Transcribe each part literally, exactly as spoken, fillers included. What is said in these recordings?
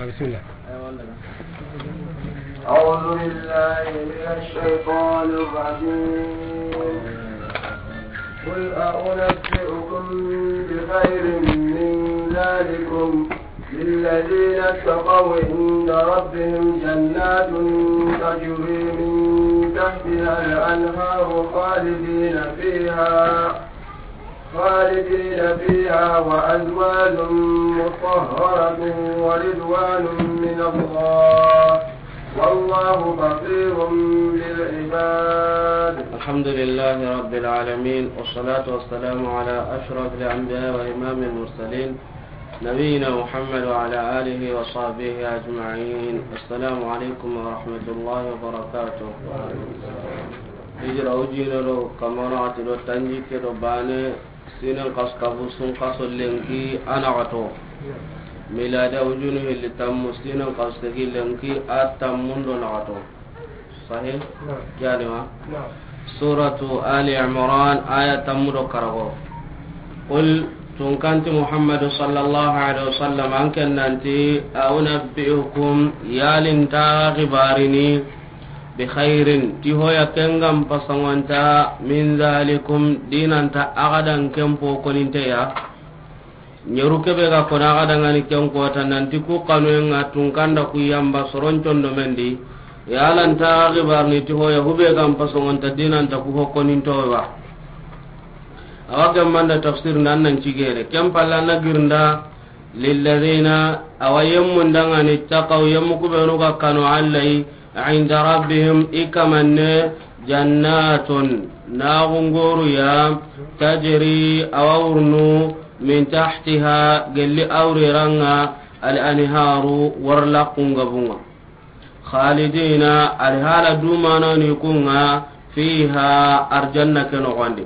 بسم الله. أعوذ بالله من الشيطان الرجيم. قل أنبئكم بخير من ذلكم للذين اتقوا عند ربهم جنات تجري من تحتها الأنهار خالدين فيها خالدين فيها وأزواج مطهرة ورضوان من الله والله بصير بالعباد. الحمد لله رب العالمين، والصلاة والسلام على أشرف الأنبياء وإمام المرسلين نبينا محمد وعلى آله وصحبه أجمعين. السلام عليكم ورحمة الله وبركاته. Hijira ujine do kamana ati do tanjikke do bane, sinen kas kabu sun kaso lenki a naxato. Miladi ujunu hilli tammu, sinen kas tegi lenki a tammun do naxato. Sahih? Naam. Kiyani ma? Naam. Suratu Ali Imran, aya tammu do karago. Qul, tunkanti Muhammadu sallallahu alaihi wasallam, an ken nanti, a unabbi'ukum, yalin ta xibarini, bi khairin, ti hoya kengam pasongonta, min zalikum, dinanta agadan kempo koninteya. Ñeru kebe ga kona aga dangani ken kota nanti ku kanuyenga tunkanda ku yamba soron condo mendi. Yalanta xibarni ti hoya hube gam pasongonta dinanta ku hokkonintowa. Awa gemmanda tafsir nan nan cigere ken palla na girnda. Lilladina, awa yemmu ndangani taqaw, yemmu kubenu ga kanu allayi, inda rabbihim, i kamanne, jannatun, naxungoruya, tajri, awa wurnu, min tahtiha, gelli awreranga, al anharu, warlaqungabunga. Khalidina, alhala dumanoni kunga, fiha, arjanna ke noxondi.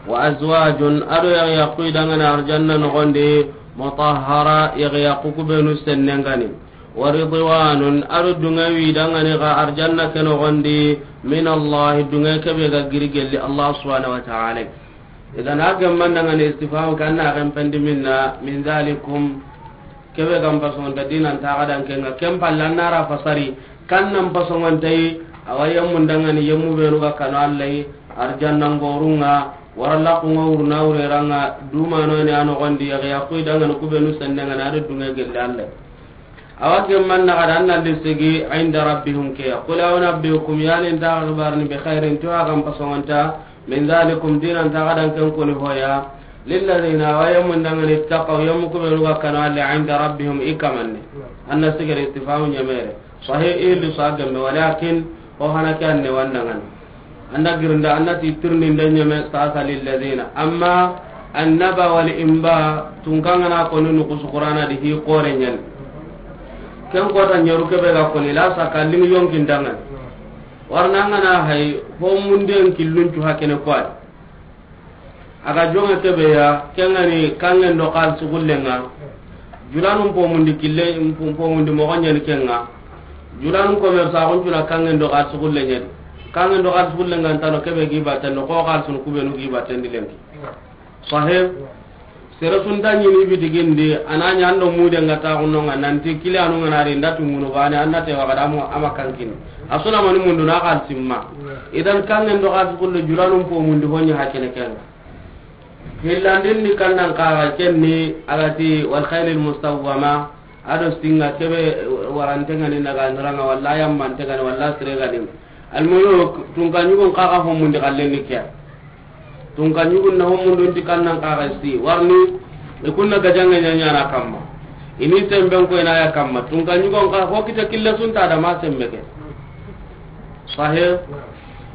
Wa azwajun, ado yaxyaqu idangani arjanna noxondi, mutahhara, yaxyaqu kubenu sennengani. Wa ridwanun, ado dungawi idangani ga arjanna ke noxondi, min Allah, dunga kebe ga giri gelli Allah subhanahu wa ta'ala. Idan a gemman dangani istifham kanna xen pendi minna, min zalikum, kebe gam pasongonta dinanta aga dankenga, ken palla nara fasari, kannan pasongontayi, awa yemmu ndangani yemmu benu ga kanu allayi, arjanna ngorunga, warlaqunga wurna wureranga, dumanoni a noxondi, yaxyaqu idangani kubenu sennengani, ado dunga gelli allayi. Awa gemman naxada an nalli sigi, inda rabbihum keya. Qul aw nabbiukum, yani nta xibarini bi khairin, to a gam pasongonta, min zalikum, dinanta aga danken koni hoya. Lilladina, awa yemmu ndangani, ittaqaw, yemmu kubenu ga kanu alle, inda rabbihim, i kamanne. Anna sigere istifhamu ñamere. Sahih, ilu sa gemme, walakin, ho hana ke anne wandangani. Anda girinda, anda ti tirni nda ñeme sasa lilladina. Amma annaba wal imba tunkangana koni nukusu Qur'ana di hi kore ñani. Ken kota ñeru kebe ga koni la saka lingi yonkin dangan. Warna ngana hay ho munden killun cu hakene kwai. Aga jonga kebe ya, kengani kangen do kal sugullenga. Julanun po mundi kille, po mundi mo ganyani kenga. Julanun ko mer sa gon jula kangen do kal sugullenga. Kangen do kal sugullenga ntano kebe gi baten no ko kal sun kubenu gi baten dilengi. Sahib. Sere sun ta ñini bitigindi, ananya ando mude nga ta gunno nga nanti kile anu nga nari ndatu ngunu bane, anda te waga damu ama kankin. Asuna mani mundu na kal simma. Idan kangen do kal sugullu julanun po mundi honya hakene kenga. Hillandin ni kannan kaga kenni agati wal khaylil musawwama, ado singa kebe warantengani naga niranga walla yammantengani walla siregani. Almuluk, tunka ñugun kaga homundi kallenni kiya. Tunka ñugun na homundun ti kannan kaga si, warni, ikunna gajanga ñañana kamma. Ini semben ko inaya kamma. Tunka ñugun kaga hokita kille sunta da ma sembe ke. Sahih?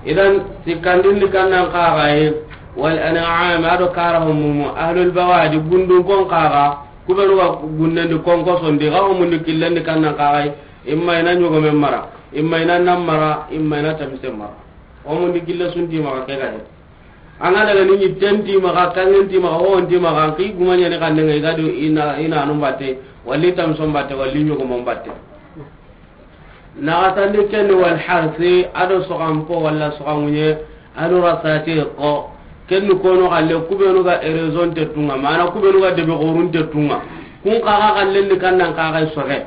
Idan, sikkandin ni kannan kaga yi, wal an'am, ado kara homumu, ahlul bawadi, gundun kon kaga, kubenu ga gunnen di konko sondi, ga homundi killen di kannan kaga yi, imma ina ñogomen mara, imma ina nan mara, imma ina tamisen mara. Homundi kille sunti maga ke gadi. Anga daga ni ñitten ti maga, kangen ti maga, howon ti maga, an ki guma ñani kanne nga igadi ina, ina anun batte, walli tamison batte, walli ñogomon batte. Naxatandi kenni wal harsi, ado soxanpo walla soxanŋuñe, ado rasati ko, kenni kono xalle, kubenu ga ereson te tunga, mana kubenu ga debe xorun te tunga. Kun kaga xallen ni kannan kaga soxe.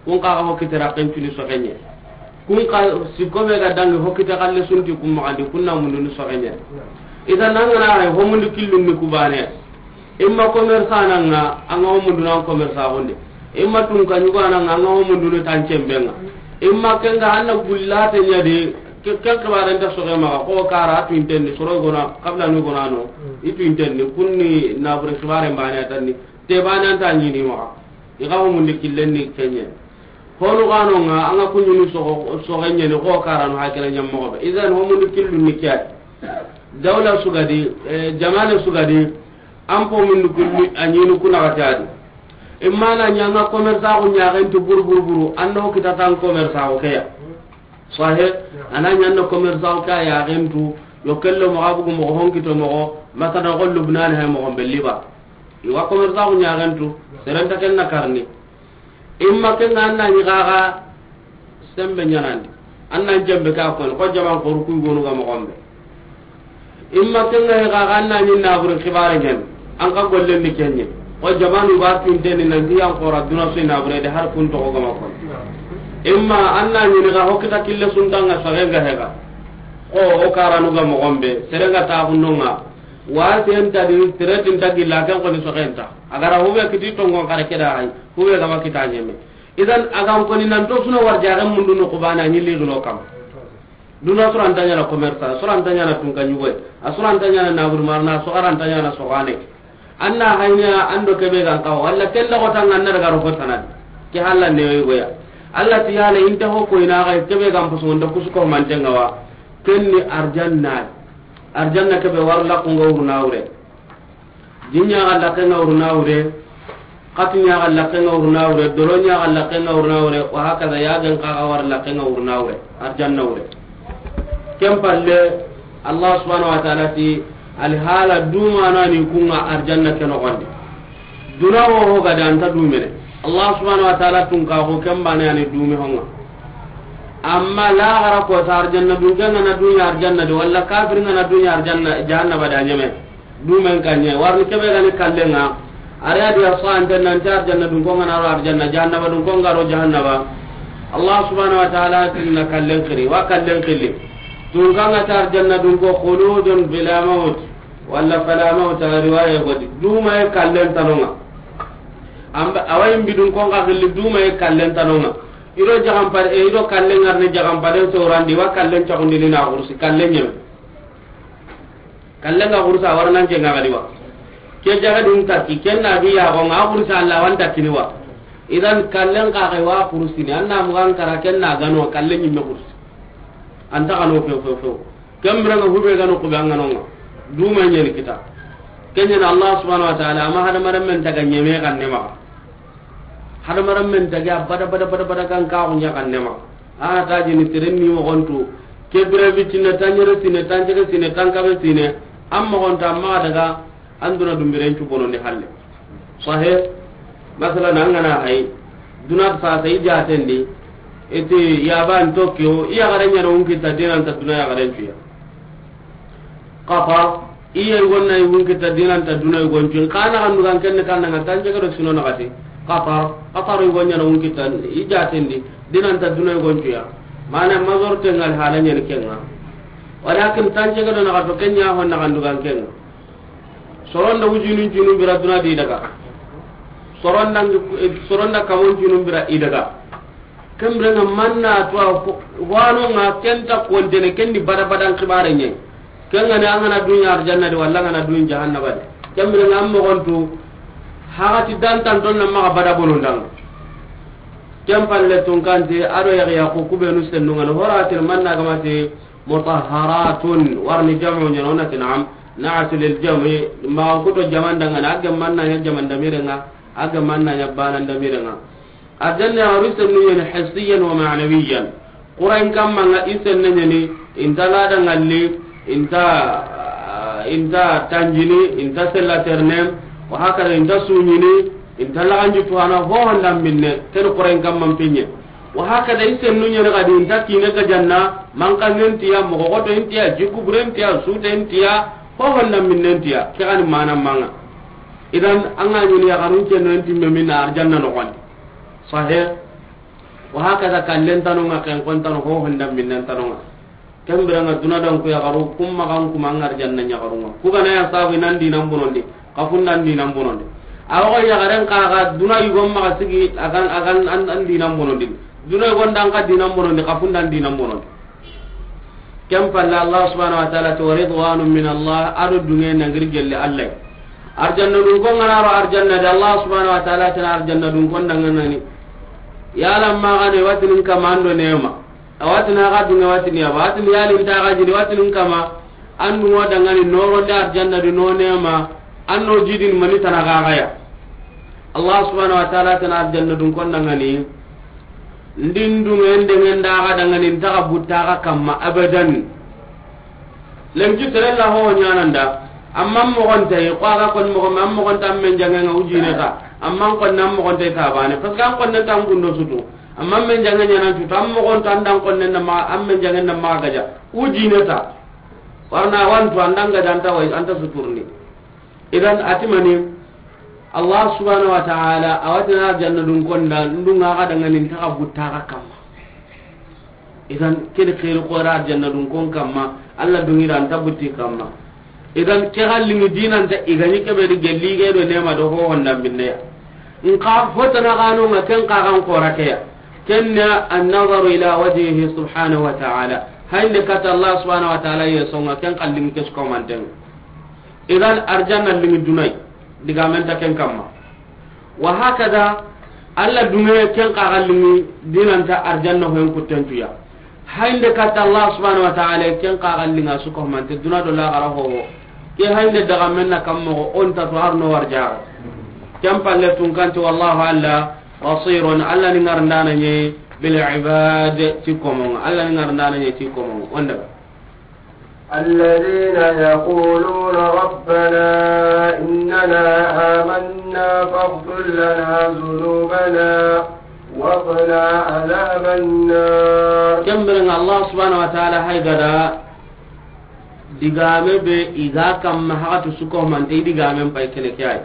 Kun xa ga ho kite raxen cuni soxeɲe. Kun xa sikko be ga dangi ho kite xalle sunti kun maxandi, kun na mundunu soxeɲe. Ita nangana hay ho mundu killun ni kubane. Imma commerçant nanga, anga ho mundunu an commerçant gonde. Imma tunka ɲugo nanga, anga ho mundunu tancembenga. Imma kenga anna gullate ɲadi, ke-, ken xibare nta soxe maxa, ko kara tu intenni, soro gona, kabla nu gona no, itu intenni, kunni nabure xibare mbane atanni, te bane anta ɲini maxa. I ga ho mundi killen ni kenye. Honu gano nga, anga kunyuni soxo, soxe ɲeni, ko karanu hakila ɲammoxo be. Idan ho mundi killun ni kiyat. Dawla sugadi, eh, jamane sugadi, an po mundu kulli, a ɲini kuna gatadi. Imma na ɲanga commerçant ko ɲaxen tu buru buru buru, anno kitatan commerçant ko keya. Sahe, ana ɲanna commerçant ka yaxen tu, yo kello moxo bugu moxo honkito moxo, masana ko Lubnan hay moxo be Liba. Iwa commerçant ko ɲaxen tu, serenta ken na karni. Imma kenga anna ni gaga sembe ɲanandi. Anna jembe ka ko, ko jaman ko ruku gonu ga moxo be. Imma kenga he ga ganna ni nabure xibare ɲen. An ka gollen ni kenye. O jamanu ba tinteni nan diyan xora duna su nabure de har kun to gama ko. Imma anna ni ga hokita kille suntanga sagenga hega. Ko o karanu ga moxo be, serenga ta hunnonga. Wa senta di seretin ta gilla kan ko ni soxenta. Agara hube kiti tongon kare keda hay. Hube gama kita ɲeme. Idan agan ko ni nan to suna warjaxen mundu no kubana ni ligno kam. Duna suranta ɲana commerçant, suranta ɲana tunka ɲugoy, a suranta ɲana nabur marna, soxaranta ɲana soxane. Anna hayniya ando kebe gan kawa, walla kella xotanga anna daga roxo tanadi. Ke halla newe goya. Allah ti yala inte ho ko ina ga kebe gan poso nda kusu ko mantenga wa. Kenni arjanna. Arjanna kebe war la ko ngawru nawre. Jinya ga lakenga urna wure, kati nya ga lakenga urna wure, dolo nya ga lakenga urna wure, wa hakaza yagen ka ga war lakenga urna wure, arjanna wure. Ken palle, Allah subhanahu wa ta'ala ti, alhala duma na ni kunga arjanna ke noxondi. Duna wo ho ga da anta dumene. Allah subhanahu wa ta'ala tun ka ko ken bane ani dumi honga. Amma la gara ko ta arjanna dun ken na dunya arjanna de, walla kafir na dunya arjanna, jahannaba da nyame. Dumen kanye, warni kebe gani kallenga. Ari adi ya so ante nan ta arjanna dun ko ngana ro arjanna, jahannaba dun ko ngaro jahannaba. Allah subhanahu wa ta'ala tinna kallen kiri, wa kallen kili. Tun kanga ta arjanna dun ko khuludun bila maut, walla fala maut, riwaya godi. Duma e kallen tanonga. Amba, awayin bidun ko nga gilli duma e kallen tanonga. Iro jagam pare, e iro kallen ngarni jagam pare so randi wa kallen cagundi ni na kursi, kallen nyem. Kallen ga kursa warnan ke nga gadi wa. Ke jaga dun takki, ken na bi ya ko nga kursa Allah wan takkini wa. Idan kallen ka ga wa kursi ni, anna mu gan kara ken na gano kallen nyimme kursi. Anta gano fe fe fe. Kembra nga hube gano ko be an gano nga. Duma nyeni kita. Kenya na Allah subhanahu wa ta'ala, ama hada maram men taga nyeme kan nema. Hada maram men taga bada bada bada bada kan ka ko nya kan nema. A ta jini tiren ni mo gontu. Kebra bitinna tanyere sine, tanjere sine, tankabe sine. Amma gonta amma daga anduna dumbiren cu bono ni halle. Sahe, masalan, an gana hay, duna sa sa i jatendi, iti yaban Tokyo, iya garanya no unki ta dinan ta duna ya garan cuya. Qatar, iya gonna i unki ta dinan ta duna i goncu. Kana kan dugan kenne kan nga tanje garo sino na kati. Qatar, Qatar i gonya no unki ta i jatendi, dinan ta duna i goncu ya. Mana mazor tengal halanya ni kenga. Walakin tanje garo na kato kenya hon na kan dugan kenga. Soronda wujunun junun bira duna di daga. Soronda, soronda kamon junun bira i daga. Kembere nga manna to a ko, wano nga kenta kontene kendi bada badan kibare nye. Kenga ne angana dunya arjanna de walla angana dunya jahannaba de. Kembere nga mo gontu hagati dantan don na maga bada bolondang. Ken palle tun kante ado ya ya ko kubenu sennunga no horatil manna gamate mutahharatun, warni jamu ɲana, wona ti naam, na'at lil jam'i, ma kuto jaman dangana, a ga manna ɲa jaman damirenga, a ga manna ɲa banan damirenga. Arjanna ya ru sennu ɲani hissiyan wa ma'nawiyan. Qur'an kamma nga i senne ɲani, inta lada ngalli, inta, inta tanjini, inta sella ternem, wa hakada inta suɲini, inta laganji tuwana, ho honda minne, ken Qur'an kamma pinye. Wa hakada i sennu ɲene gadi inta kine ga janna, manka ngentiya, mogo goto intiya, jikubure intiya, sute intiya, ho honna minne intiya, ke gani mana manga. Idan, anga ɲini ya ganun cenno inti me minna arjanna no gondi. Sahe, Wa hakaza kallen tano ŋa, ken kon tano, ho honda minnen tano ŋa. Ken bire ŋa duna dan ku yaxaru, kum maxa n kuma ŋa arjanna yaxaru ŋa. Ku ga na ya sabu nan dinan bonondi, xa funda n dinan bonondi. A wa yaxaren xa ga duna yugon maxa sigi, a ga n, a ga n an, an dinan bonondi. Duna yugon dan xa dinan bonondi, xa funda n dinan bonondi. Ken palle Allah subhanahu wa ta'ala ti, "Wa ridwanun min Allah," a do dunge na giri gelle Allah. Arjanna dun ko ŋa na ro arjanna de, Allah subhanahu wa ta'ala ti na arjanna dun ko n da ŋa na ni. Yala maxa ne watinin kama an do nema. A watini xa dunge watini ya ba, watini yalin ta xa jini watinin kama. An dun wa da ŋa ni noronde arjanna di no nema. An no jidin mani tana xa xa ya. Allah subhanahu wa ta'ala ti na arjanna dun ko n da ŋa ni. Ndin dunge nde ŋen da xa da ŋa ni, n ta xa butta xa kamma abadan. Lenki sere la ho ɲaana n da. Amma moxon tay, ko a ga kon moxo, amma moxon ta men jange ŋa ujine ta. Amma kon na moxon tay ta bane. Parce que an kon ta n gundo sutu. Amma men jange ɲaana tutu. Amma moxon ta an da n kon na ma, amma men jange na ma gaja. Ujine ta. Warna wantu an da n gaja an ta way, an ta suturni. Idan a ti mani, Allah subhanahu wa ta'ala a wa ti na arjanna dun ko n da, n dun ŋa xa da ŋa ni, n ta xa butta xa kamma. Idan ke ni xeeri xoore arjanna dun kon kamma, Allah dun ŋa i da n ta butti kamma. Idan ke xa lingi dinan ta i ga ni ke be di gelli ge do nema do ho honda minne ya. N xa fo tana xa no ŋa ken xa xa n xoora ke ya. Ken na an-nazaru ila wajhihi subhanahu wa ta'ala. Hayinde katta Allah subhanahu wa ta'ala ye so ŋa ken xa lingi ke su ko manten. Idan arjanna lingi dunay, digamen ta ken kamma. Wa hakaza, Allah dunge ken xa ga lingi dinan ta arjanna hoyen kuttentuya. Hayinde katta Allah subhanahu wa ta'ala ken xa ga linga su ko mante duna do laxara ho. Ke hayinde dagamen na kamma ko on ta to arno warja. Ken palle tun kanti wallahu alla basirun, Allah ni ŋarndana ɲi bil ibad ti komonga. Allah ni ŋarndana ɲi ti komonga. Onda. الذين يقولون ربنا إننا آمنا فاغفر لنا ذنوبنا وقنا عذاب النار. Ken biren ŋa Allah subhanahu wa ta'ala hay ga da digame be i ga kamma haqatu su ko mante i digamen pay kene ke ay.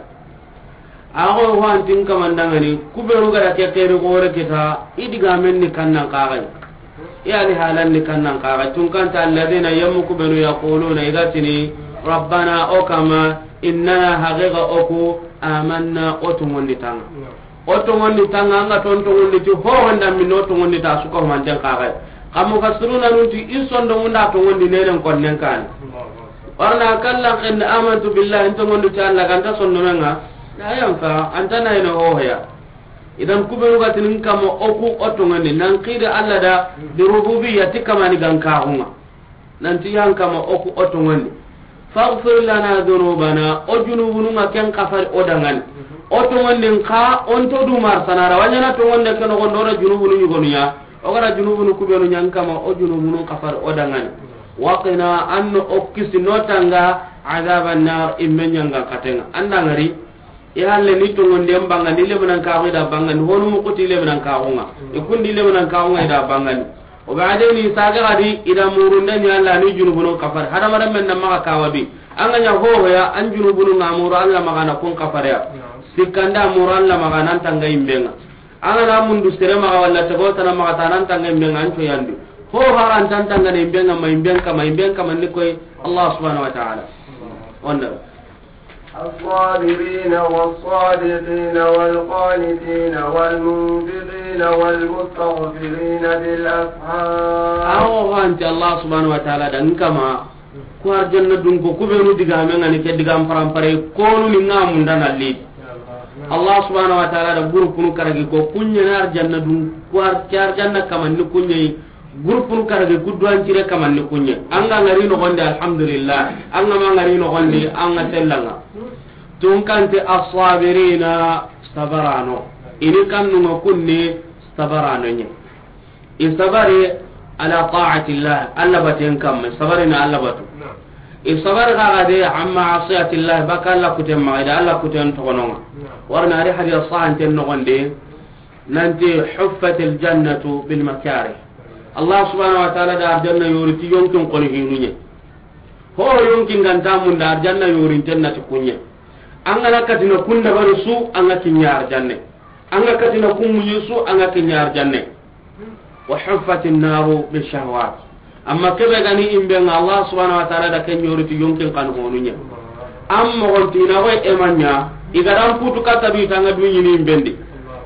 Ago ho antin kamandangani, kubenu ga da ke xeeri xoore kita, i digamen ni kannan xaxay. I ali halan ni kannan xaxay. Tun kanta alladhina yammu kubenu yaquluna i ga tini, rabbana o kama, innana haqiqa oku, amanna o tongondi tanga. O tongondi tanga, anga ton tongondi ti ho honda min o tongondi ta su ko manten xaxay. Xa mufassiruna nun ti i sondo munda tongondi nenen konnen kani. Warna kallan xenni amantu billahi, n tongondi ti Allah ganta sondomenga, na yanfa, anta na ina hohoya. Idan kubenu ga tinin kama oku o tongondi, nan xidi Allah da, bi rububiyya ti kamani gankaxunga. Nanti yan kama oku o tongondi. Faghfir lana dhunubana, o junubununga ken kafari o dangani. O tongondin xa, on to du mar sanara, wanyana tongonde ken o gondo da junubunu yugonuya. O gara junubunu kubenu ɲan kama, o junubunu kafar o dangani. Waqina, anno o kisi no tanga, adhaban nar, imme ɲanga katenga. Andangari, i halle ni tongondi en bangani, lebanan kaxu da bangani, honu mukuti lebanan kaxunga. Ikundi lebanan kaxunga i da bangani. O ba de ni saga gadi i da murunde ni Allah ni junubunu kafar. Hadamaren men na maga kawabi. Anga ɲa hohoya, an junubunu ngamuru Allah magana kun kafar ya. Sikkanda muru Allah magana tanga imbenga. An ga na mundu sere maxa walla tego tana maxa ta nan tanga imben ŋa an coyandi. Ho haran tan tanga ne imben ŋa ma imben kama imben kama ni koy Allah subhanahu wa ta'ala. Onda. الصابرين والصادقين والقانتين والمنفقين والمستغفرين بالأسحار. Awo hanti Allah subhanahu wa ta'ala da nkama. Ku arjanna dun ko kubenu digame ŋa ni ke digam parampare konu ni ŋa munda na li. Allah subhanahu wa ta'ala da gurupunu karagi ko kunɲe na arjanna dun ku ar-, ke arjanna kaman ni kunɲe gurupunu karagi ku duwan cire kaman ni kunɲe. Anga ngari no gonde alhamdulillah. Anga ma ngari no gonde anga tellanga. Tun kante as-sabirina sabarano. Ini kannu ŋa kunni sabarano ɲe. I sabari ala ta'atillah, Allah baten kamma, i sabari na Allah batu. I sabari kaga de amma asiyatillah, baka Allah kuten maxa, i da Allah kuten toxononga. Warna ari hadis sahanten noxonde, nanti huffatil jannatu bil makarih. Allah subhanahu wa ta'ala da arjanna yori ti yonkin koni hinunye. Ho yonkin ganta munda arjanna yori tenna ti kunye. An ga na katina kunda bari su, an ga kinya arjanne. An ga katina kun munyi su, an ga kinya arjanne. Wa huffati nnaru bishahawat. Amma kebe gani imbe nga Allah subhanahu wa ta'ala da ken yori ti yonkin kan honunya. Am mogon ti na way emanya, igaran putu kata bi tanga dunyini imbendi.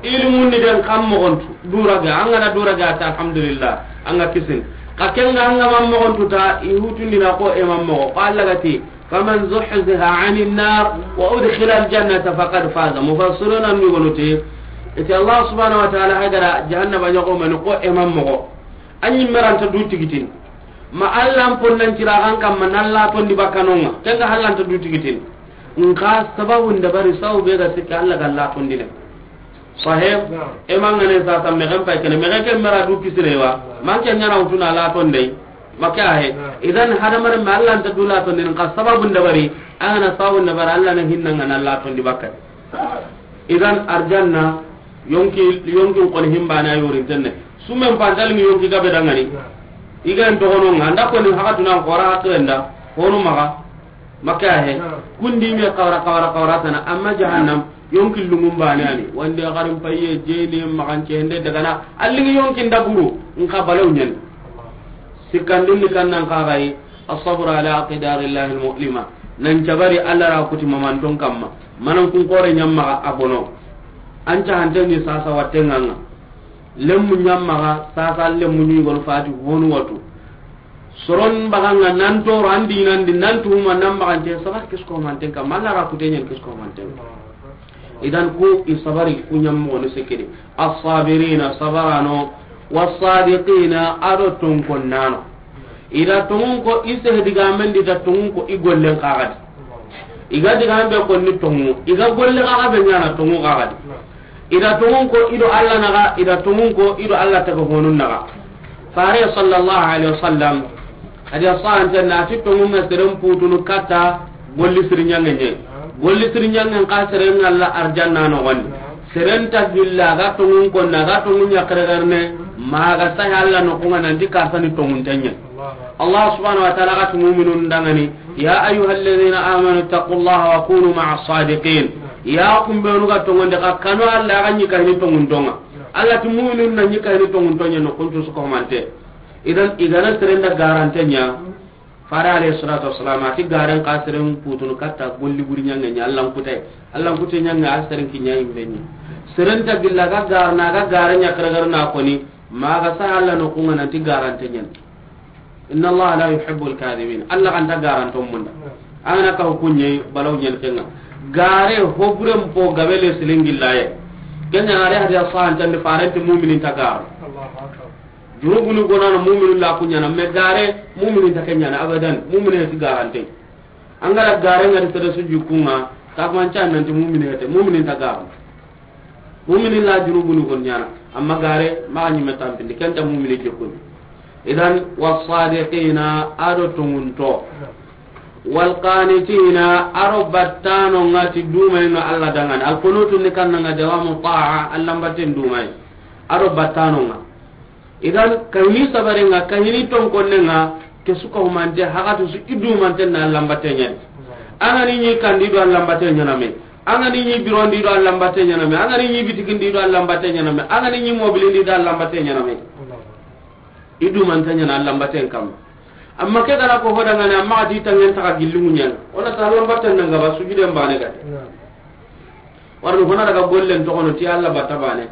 Ilmun ni den kam mogon tu, duraga, anga na duraga ta alhamdulillah, anga kisin. Ka kenga anga mam mogon tu ta, ihutundi na ko emam mogo. Qala gati, فمن زحزح عن النار وأدخل الجنة فقد فاز. Mufassiruna ni gonuti, iti Allah subhanahu wa ta'ala hagara jahannaba nyago mani ko emam mogo. Anyi meranta du tigitin. Ma Allah an ponnan cira kan kamma nan la tondi bakkanonga. Kenga hallanta du tigitin. Nka sababu ndabari sawu be ga sikka Allah ga la tondine. Sahib, emangane sasa megen pay kene, megen ke mera du kisire wa. Manke nyana utuna la tondey. Maka he. Idan hadamar me Allah nta dula to nin ka sababu ndabari, angana sababu ndabari Allah na hinna ngana Allah to ndi bakka. Idan arjanna yonki, yonki kon himbana yorin tenne. Sumen pantal ni yonki gabe dangani. Igan to hono nganda ko ni hakatuna ko ra hatrenda. Hono maga. Maka he. Kundi me qawra, qawra, qawra tana, amma jahannam yonki lungun bane ani. Wande garin payye jeni magan cende daga na alligi yonki ndaburu. Nka balew nyen. Sikkandun ni kannan kaxayi, الصبر على أقدار الله المؤلمة. Nan cabari Allah ra kuti mamanton kamma. Manan kun kore nyamma a bono. An ca hante ni sasa watte nganga. Lemmu nyamma sasa lemmu ni gon fati honu watu. Soron baganga nan toro andi nandi nan tuma nan bagante sabar kisko manten kamma. Allah ra kute nyen kisko manten. Idan ku i sabari ku nyammo ni sekedi. As-sabirina sabarano, was-sadiqina ado tonkonnano. Ida tongun ko i sehdiga mendi da tongun ko i gollen kagadi. Iga diga be ko ni tongu, iga golle kaga be nyana tongu kagadi. Ida tongun ko ido Allah naga, ida tongun ko ido Allah taga honun naga. Fare sallallahu alaihi wasallam, hadi asan tanna ti tongun na seren putunu kata golli sirinyanga nye. Golli sirinyanga ka seren Allah arjanna no gon. Seren ta gilla ga tongun ko na ga tongun ya kare garne ma ga sa Allah no ko nan di ka sani tongun tanya. Allah subhanahu wa ta'ala ga mu'minun dangani. يا أيها الذين آمنوا اتقوا الله وكونوا مع الصادقين. Ya kumbenu ga tongonde ka kanu Allah ga nyi kayni tongun tonga. Allah ti mu'minun na nyi kayni tongun tonya no kuntu su ko mante. Idan igana serenda garantenya. Fara alayhi salatu wassalam ati garan ka seren putunu katta golli buri nyanga nya Allah kutay. Allah kutay nyanga a seren kinya imbeni. Serenta gilla ga garna ga garanya karagarna koni. Ma ga sa Allah no kunga nanti garantenya. إن الله لا يحب الكاذبين. Allah kan ta garanton munda. Angana ka hukunye balaw nyen kenga. Gare hoburen po gabele silingi laye. Kenya are hadi asan tan farante mu'minin ta gar. Junubunu gonana mu'minin la kunyana me gare mu'minin ta kenyana abadan mu'minin ti garante. Angara gare ngari tere su jukunga ta mancha nanti mu'minin te mu'minin ta gar. Mumini la junubunu gon nyana, amma gare maxa ñimme tampindi, kenta mumini jokkuni. Idan, wasadiqina, ado tongunto. Walqanitina, aro battano ngati dumay no Allah dangani. Alqunutu ni kanna nga dawamu ta'a, Allah mbatten dumay. Aro battano nga. Idan, kahini sabare nga, kahini tonkonne nga, ke su ka humante, hagatu su i dumante na Allah mbatte ñani. Angani ñi kandi do Allah mbatte ñaname. Angani ñi birondi do Allah mbatte ñaname. Angani ñi bitikindi do Allah mbatte ñaname. Angani ñi mobilindi do Allah mbatte ñaname. I dumante ñana Allah mbatte kam. Amma ke gara ko hodangane, amma ati tangen taga gillungu ñana. Ona ta Allah mbatte nanga ba sujuden bane gade. Warni hona daga gollen toxono ti Allah batta bane.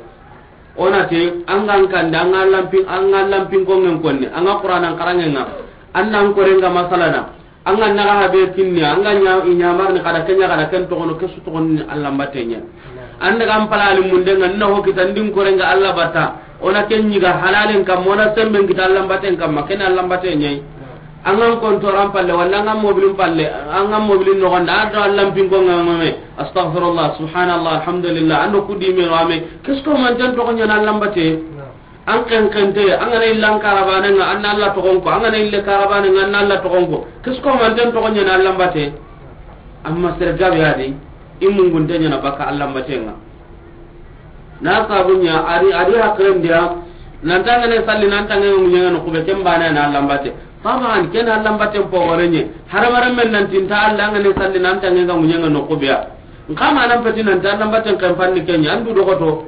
Ona te, angan kande, anga lampin, anga lampin kongen konni, anga Qur'anan karangenga, annan korenga masalana, anga naga habe kinni, anga nya, i ñamarni kada kenya kada ken toxono, kesu toxono ni Allah mbatte ña. Anda gam palali mundenga, na ho kita ndin korenga Allah batta, ona ken ñiga halalen kam, ona semben kita Allah mbatten kam, ma ken Allah mbatte ñay. Angan kontoran palle, walla angan mobilin palle, angan mobilin nogonda, ado allan pinko ngame, astaghfirullah, subhanallah, alhamdulillah, ando kudi me wame, kesko manten toxo ñana allan bate. An ken kente, angana illan karabane nga, anna Allah toxonko, angana ille karabane nga, anna Allah toxonko, kesko manten toxo ñana allan bate. Amma sergabe adi, imungunte ñana baka allan bate nga. Na sabunya ari, ari hakren dia, nan tangane salli, nan tangane nguñenga no kube, ken bana na lambate. Taban ken lambate pogorenye. Haramaren men nan tinta Allah ngane salli, nan tangane nguñenga no kube ya. Nkama nan peti nan ta lambate kan panni kenya, andu dogoto.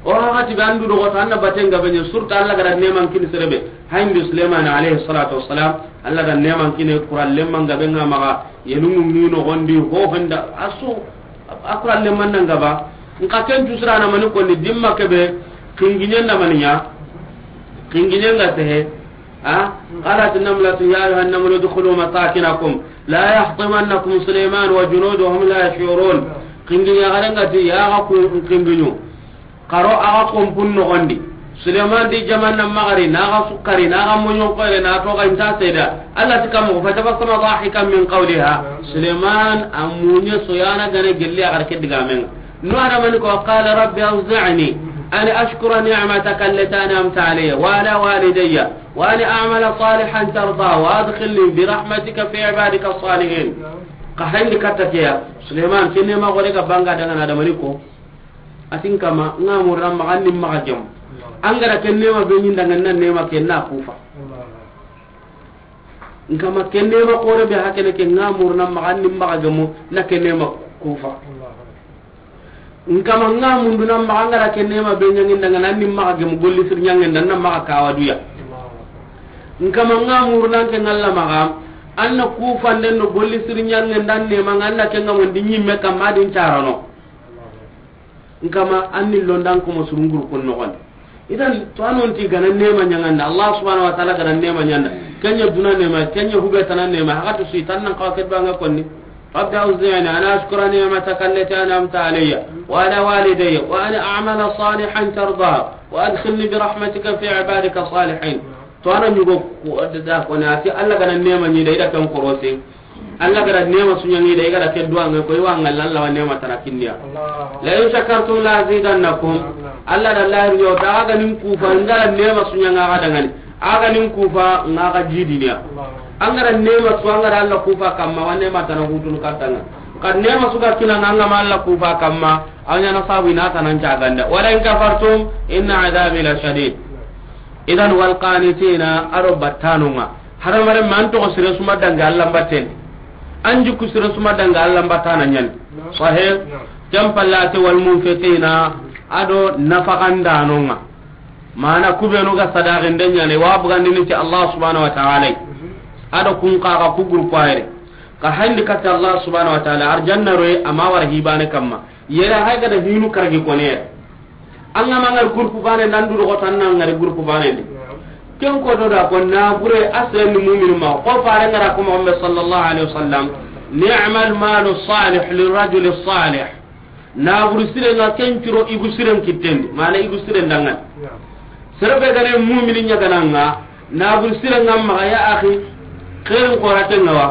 O waxati be an du doxoto, an na baten gabe ɲa, surtout Alla ga da neeman kini sere be. Hayndi Suleymani alayhi salatu wassalam, Alla da neeman kini kura lemman gabe ŋa maxa, yelungu ŋi noxondi, ho honda, a su, a kura lemman nan gaba. Nxa ken tu sirana mani konni, dimma kebe, kingiɲen da mani ɲa, kingiɲen ga sehe, a, قالت نملة يا أيها النمل ادخلوا مساكنكم لا يحطمنكم سليمان وجنوده وهم لا يشعرون. Kingiɲa xaren ga ti, ya ga ku kingiɲu. Xaro a ga konpun noxondi. Suleman di jaman na maxari, na ga sukkari, na ga moɲon koyre, na toxa inta seda. Alla ti kam moxo, فتبسم ضاحكا من قولها. Suleman a muɲe soyana gane gelli a xar ke digamen ŋa. No adamani ko, قال رب أوزعني أن أشكر نعمتك التي أنعمت علي وعلى والدي وأن أعمل صالحا ترضاه وأدخلني برحمتك في عبادك الصالحين. Xa hayndi katta ke ya, Suleman, ke neema xore ga banga daga na adamani ko. A ti n kama, n ga muruna maxa ni maxa gemu. An ga da ke neema be ɲi n danŋa, na neema ke na kufa. N kama, ke neema xore be hakene ke, n ga muruna maxa ni maxa gemu, na ke neema kufa. N kama, n ga munduna maxa, an ga da ke neema be ɲaŋi n danŋa, na ni maxa gemu, golli sir ɲaŋen da, na maxa kawa duya. N kama, n ga muruna ke ŋalla maxa, an na kufanden do golli sir ɲaŋen da, neema ŋa, an na ke ŋa mondi ɲimme kamma, a di n carano. N kama, an ni londan ko mo surunguru kun noxon. Idan, to anon ti gana neema ɲaŋanda, Allah subhanahu wa ta'ala gana neema ɲaŋanda. Ken ɲa duna neema, ken ɲa hube tana neema, haxa to su i tan nan xawa ke duwa ŋa konni. رب أوزعني أن أشكر نعمتك التي أنعمت علي وعلى والدي وأن أعمل صالحا ترضاه وأدخلني برحمتك في عبادك الصالحين. To ana ɲugo ko da ko na ti Allah gana neema ɲi da i da kan korose. Allah gada neema su ɲaŋi da, i gada ke duwa ŋa ko, i wa ŋalla Allah wa neema tana kinniya. لئن شكرتم لأزيدنكم. Allah da Allah yo ta ga nin kufa, n gada neema su ɲaŋa ga dangani. A ga nin kufa, ŋa ga jidiniya. An gada neema su, an gada Allah kufa kamma, wa neema tana hutunu kattanga. Ka neema su ga kina ŋa, an ga ma Allah kufa kamma, a ɲa na sabu i na tanan caganda. ولئن كفرتم إن عذابي لشديد. Idan, والقانتين, a do battanu ŋa. Hadamaren ma an toxo sire su ma dangi Allah mbatten. An jikku sire su ma dangi Allah mbattana ɲani. Sahih? Ken palle a ti والمنفقين, a do nafaxandanu ŋa. Mana ku benu ga sadaxinde ɲani, wa bugandini ti Allah subhanahu wa ta'ala. A do kun xaxa ku groupe ayre. Ka hayndi katta Allah subhanahu wa ta'ala, arjanna roye, a ma wara hibane kamma. Yere hay gada hinu karagi kone. An ga ma ŋari groupe bane, nan du rogo tan na ŋari groupe bane ndi. Ken ko do da ko na bure asren ni mu'minu ma. Ko fare ŋara ko Muhammad sallallahu alaihi wasallam. نعم المال الصالح للرجل الصالح. Na buru sire ŋa ken curo igu siren kittendi. Mana igu siren dangan. Sere be gane mu'mini ɲa gana ŋa. Na buru sire ŋa maxa ya axi, xeerin xoraten ŋa wa.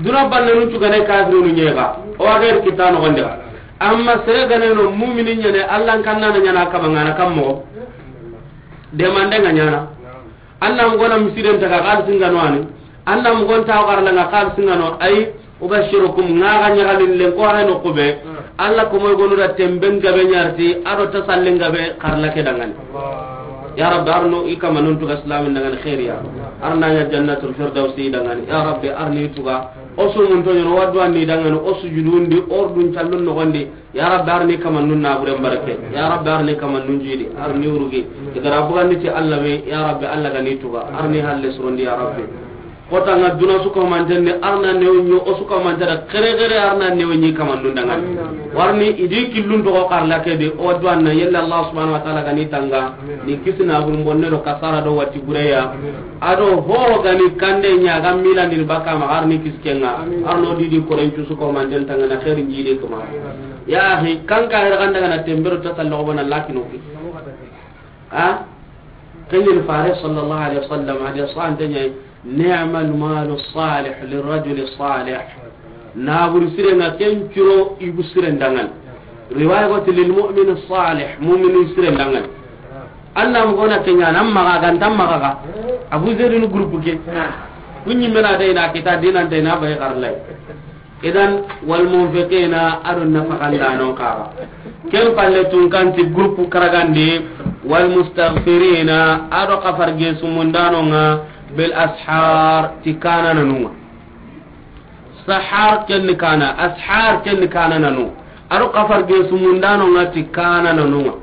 Duna bannanun cugane kafirinu ɲexa. O wa xeeri kitta noxondi xa. Amma sere gane no mumini ɲane, Allah n kannana ɲana kama ŋana kam moxo. Demande ŋa ɲana. An na mugona misiren taga xalisi ŋa no ani. An na mugon tawo xarla ŋa xalisi ŋa no ay. أبشركم, ŋa ga ɲaxalin len ko hay no kube. Allah ko moy gonu da temben gabe ɲarti, a do tasallen gabe xarla ke dangani. Ya Rabbi, arno i kama nun tuga islamin dangani xeeriya. Arna ɲa jannatul firdausi dangani. Ya Rabbi, arni tuga. O su mun to ɲono waddu anni dangani. O sujudundi, ordun callun noxondi. Ya Rabbi, arni kama nun na buren barake. Ya Rabbi, arni kama nun jidi. Arni urugi. Igara bugandi ti Allah me. Ya Rabbi, Allah gani tuga. Arni halle surondi ya Rabbi. Kota ŋa duna su ko manten de, arna newo ɲo, o su ko mantara kere kere, arna newo ɲi kamandun dangani. Warni idi killun to ko karla ke de, o duwanna yella Allah subhanahu wa ta'ala gani tanga, ni kisina bun bonne do kasara do wati bureya. Ado ho gani kande ɲa ga milandi baka ma arni kiskenga, arno didi koren cu su ko manten tanga na khairin jide kuma. Ya akhi, kan ka hera kan daga na tembero ta sallo bana lakino ki. Ha? Kenyel fare sallallahu alaihi wasallam, hadi sante ɲa, نعم المال الصالح للرجل الصالح. Naburu siren ŋa ken curo igu siren dangan. Riwaya go ti للمؤمن الصالح, mumini siren dangan. Anna mo gona kenya nan maga ganta maga ga. Abu Zaidun groupe ke. Kunyi mena dai na kita dinan dai na bai karlai. Idan, والمنفقين, ado nafaxandanon kaxa. Ken palle tun kanti groupe karagandi, والمستغفرين, ado xafar gesu mundanon ŋa, بالأسحار, ti kanananun ŋa. Sahar ken ni kana, ashar ken ni kanananu. Ado xafar gesu mundanon ŋa ti kanananun ŋa.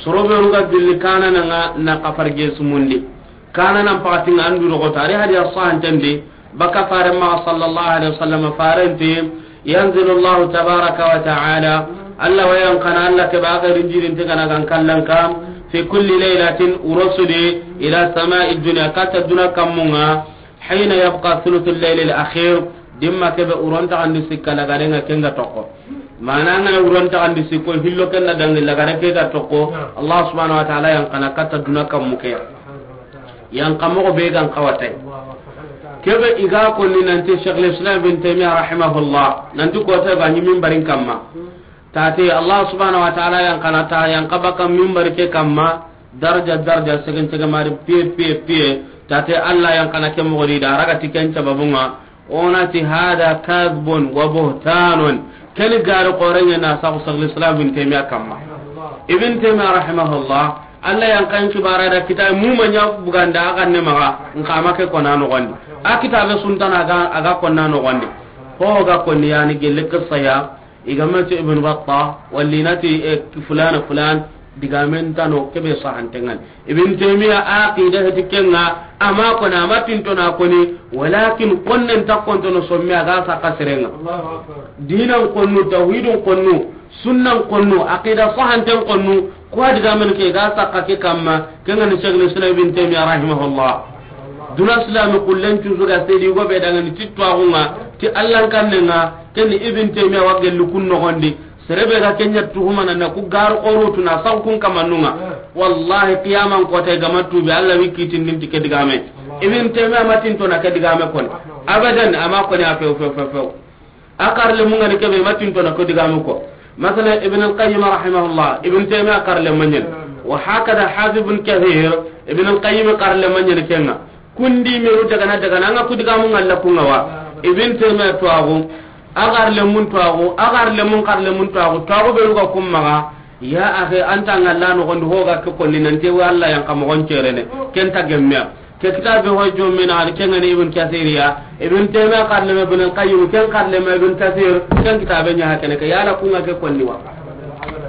Soro be ga gilli kanana nga na kafar ge sumundi. Kanana pakati nga andu rogo tari hadiya sahanten di. Baka fare ma sallallahu alaihi wasallam farenti. Yanzilu Allahu tabaraka wa ta'ala. Allah wa yan kana Allah ke ba ga rinjirin te kana gan kallan kam. Fi kulli laylatin urusuli ila sama'i dunya kata duna kamunga. Hina yabqa thuluthul laylil akhir. Dimma kebe uronta andi sikka lagare nga kenga toko. Mana nga na uronta andi sikko hillo kenna dangi lagare ke ga toko. Allah subhanahu wa ta'ala yan kana kata duna kammu ke. Yan kamo be gan kawatay. Kebe iga konni nanti Sheikh al-Islam bin Taymiyyah rahimahullah. Nanti ko ta ba ni minbarin kamma. Tate Allah subhanahu wa ta'ala yan kana ta yan kabaka minbar ke kamma. Darja darja segen segen mari piye piye piye. Tate Allah yan kana ke mogodi da raga tiken sababunga. Onati hada kadhbun wa buhtanun. Keni gari qorenya na sabu Sheikh al-Islam bin Taymiyyah kamma. Ibn Taymiyyah rahimahullah. Allah yan kan kibara da kitab muma nya buganda aga ne maga. Nkama ke kona no gondi. A kitabe suntana aga aga kona no gondi. Ho ga konni yani gelle qissa ya. Igamati Ibn Battah wallinati e, fulana fulan. Digamen tano kebe sahantengan. Ibn Taymiyyah aqida heti kenga ama kona ama tintona koni. Walakin konnen takkontono somme aga saka serenga. Dinan konnu, tawhidun konnu, sunnan konnu, aqida sahanten konnu. Ko digamen ke ga saka ke kamma. Kenga ni Sheikh al-Islam Ibn Taymiyyah rahimahullah. Duna silami kullen cusu ga sedi go be dangani titwaxunga ti allan kannenga. Kenni Ibn Taymiyyah wa gelli kun noxondi. Serebe ga kenya tuhumana na ku gar qorutu na saw kun kamannunga. Wallahi qiyaman kota gama tubi Allah wi kitindin ti ke digame. Ibn Taymiyyah matinto na ke digame kon. Abadan ama koni a few few few few. A karle mun ngani kebe matinto na ko digamu ko. Masalan Ibn al-Qayyim rahimahullah, Ibn Taymiyyah karle manyen. Wa hakada Hafiz Ibn Kathir, Ibn al-Qayyim karle manyen kenga. Kundi meru daga na daga na nga ku digamu ngalla kunga wa. Ibn Taymiyyah tuwagu. Agar le mun tuwagu, agar le mun kar le mun tuwagu, tuwagu be ruga kummaga. Ya akhi, anta ngalla no gondi hoga ke konni nanti wa Allah yan kamo gon cerene. Kenta gemme. Ke kitabe ho jomina al kengani Ibn Kathir ya. Ibn Taymiyyah karle me Ibn Qayyim ken karle me Ibn Kathir. Ken kitabe nya hakene ke yala kunga ke konni wa.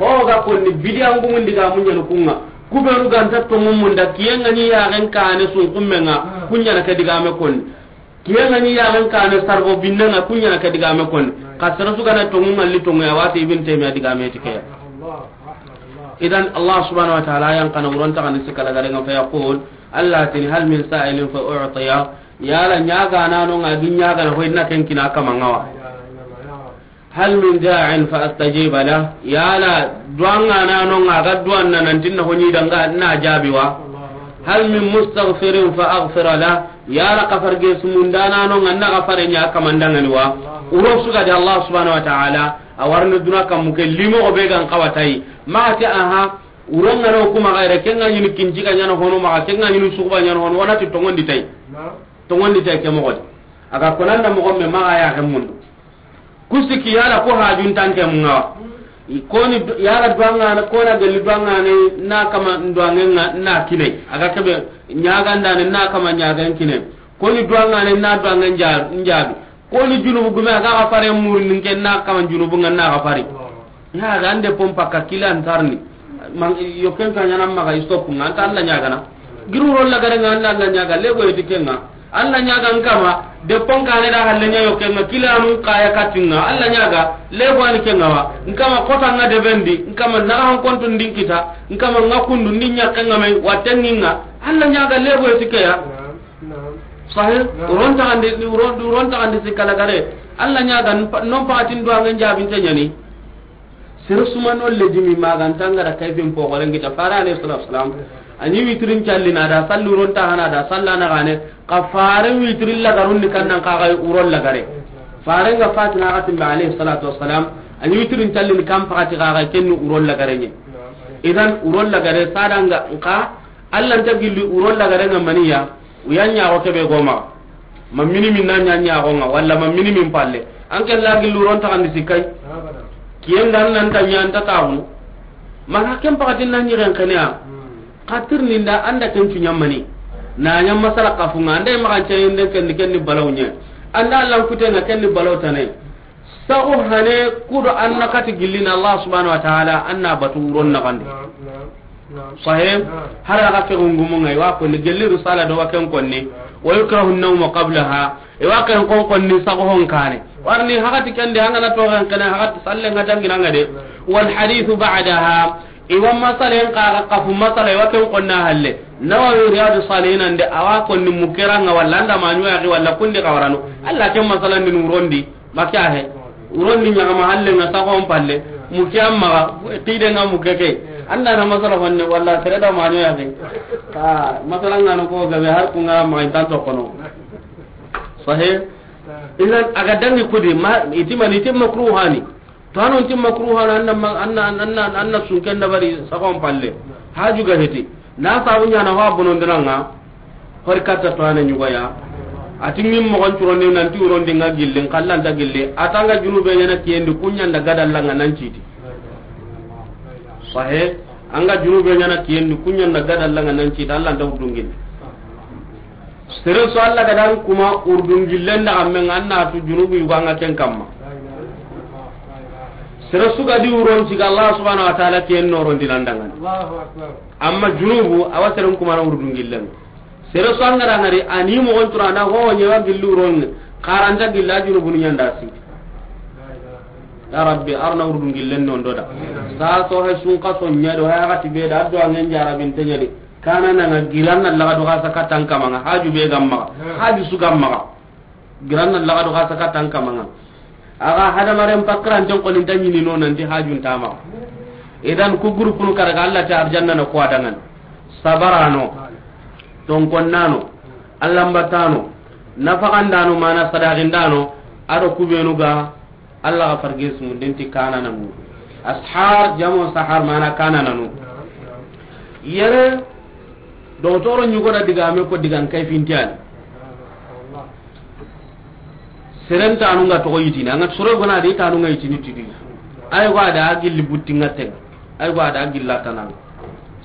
Hoga konni bidiyan gumun diga munyanu kunga. Kubenu ganta tongu munda kiyengani yaren kane sun kummenga. Kunyana ke digame konni. Kiyengani yaren kane sarbo binnenga kunyana ke digame konni. Kasara sugana tongu ngalli tongu ya wati Ibn Taymiyyah digame tike. Idan Allah subhanahu wa ta'ala yan kana uron ta kan sikala garenga fa yaqul Allah tini hal min sa'ilin fa u'tiya. Yala nyaga nano nga gi nyaga na hoyna ken kina kama ngawa. Hal min da'in fa astajiba la. Yala duanga nano nga ga duanna nantinna honi danga na jabi wa. Hal min mustaghfirin fa aghfira la. Yala kafar ge sumunda nano nga na gafare nya kamandangani wa. Uro suga de Allah subhanahu wa ta'ala. Awarni duna kamuke limo obe gan kawatai. Ma ti aha. Uronga no kuma gaire kenga nyini kinjiga nyana hono ma kenga nyini sukuba nyana hono wana ti tongondi tai. Tongondi tai ke mogodi. Aga konanda mogomme ma aya ke mundu. Kusiki yala ko hajun tanke munga. Koni yala duanga na kona geli duanga ne na kama duanga na kine. Aga kebe nyaga ndane na kama nyaga kine. Koni duanga ne na duanga njabi. Koni junubu gume aga ga fare murini ke na kama junubu nga na ga fari. Ya ga ande pompa ka kila antarni. Yokken ka nyana maga istop nga anta Allah nyaga na. Giru rolla gare nga anta Allah nyaga lego yeti kenga. Allah nyaga nkama de ponka ne da halle nya yokken nga kila nu kaya katinga Allah nyaga lego ani kenga wa. Nkama kota nga de bendi nkama na han kontu ndinkita nkama nga kundu ndinya kenga mai watenga Allah nyaga lego yeti keya. Sahih. Uron taxandi uron taxandi sikala gare. Allah nyaga non paxatin duangen jabinte nyani. Sir suma no ledimi magantanga da kayfin poxoren gita fara alayhi salatu wasalam. Ani witrin callina da sallu ron taxana da sallana gane. Ka fare witrin lagarun ni kannan kaga uron lagare. Fare nga fatina gatin ba alayhi salatu wasalam. Ani witrin callini kan paxati kaga kenni uron lagare ni. Idan uron lagare sadanga nka Allah nta gilli uron lagare nga maniya. Uya ɲaxo kebe goma. Ma mini min na ɲa ɲaxo nga walla ma mini min palle. An ke la gillu ron taxandi sikay. Kiyen dan nan ta ɲa anta taxunu. Ma ha ken paxatin na ɲigen xeneya. Xatir ninda anda ken cu ɲamani. Na ɲa masala kafunga anda maxan cayinde ken ken ni balaw ɲe. Anda lan kutenga ken ni balaw tane. Saxu hane kudo anna kati gillina Allah subhanahu wa ta'ala anna batu uron naxandi. Sahih. Har a ga ke gungumun ŋa, i wa konni gelli risala do wa ken konni. Wa yukrahu an-nawmu qablaha. I wa ken kon konni sago hon kane. Warni hakati kende an ga na to kan kana hakati sallen ŋa dangina ŋa de. Wal hadithu ba'daha. I wa masalen ka ga kafu masala i wa ken konna halle. Nawawi Riyadu Salihin ande a wa konni mukera ŋa walla anda maɲo ya walla kundi kawarano. Allah ken masalan din wurondi. Maka he. Wurondi ɲagama halle ŋa sagon palle. Muke amma ga, kide ŋa muke ke. Anda na masala honne walla tere da maɲo ya ke. Ah, masala ŋa no ko gabe har ku ŋa ma intan to kono. Sahih. Idan a ga dangi kudi ma itima ni timma kruhani. To anon timma kruhani anna ma-, anna, anna, anna sunken da bari sagon palle. Haju ga heti. Na sabu ɲana ho a bonondina ŋa, hori katta to ane ɲugoya. A ti ŋin mogon curondi nanti wurondi ŋa gilli, n kallanta gilli. A ta ŋa junube ɲana kiyendi, kuɲanda gadalla ŋa nan citi. Sahih, an ga junube ɲana kiyendi, kuɲanda gadalla ŋa nan citi, Allah nta wurdun gilli. Sere su Allah ga dan kuma wurdun gillen da amen ŋa, an na tu junubu yugo an ŋa ken kamma. Sere su ga di wuron siga Allah subhanahu wa ta'ala kiyen noron di nan dangan. Amma junubu, a wa seren kumana wurdun gillen. Sere su an ga da ŋari, a ni mogon tura na ho ɲewa gilli wuron, karanta gilla junubun ɲanda si. Ya Rabbi, arna wurdun gillen non do da. Sa so he sun ka so ɲa do, ha ga ti be da do an ŋen jarabin tenyali. Kana na ŋa giran na laga do ga saka tan kamaŋa, haju be gamma, haju su gamma. Giran na laga do ga saka tan kamaŋa. A ga hadamaren pakkaranten koni nta ɲini no nanti hajun tama. Idan ku groupe nu karaga Allah ta arjanna na ko adangan. Sabarano. Tonkonnano. Allambatano. Nafaqandano mana sadaqindano. Ado kubenu ga Allah ga farge sumu denti kanananu. Ashar jamo sahar mana kanananu. Yere dogotoro ɲugo da digame ko digan kay fintiyani. Seren tanu ŋa togo yitini, an ga soro gona di tanu ŋa yitini tidi. Ay go ada gilli butti ŋa ten. Ay go ada gilla tanan.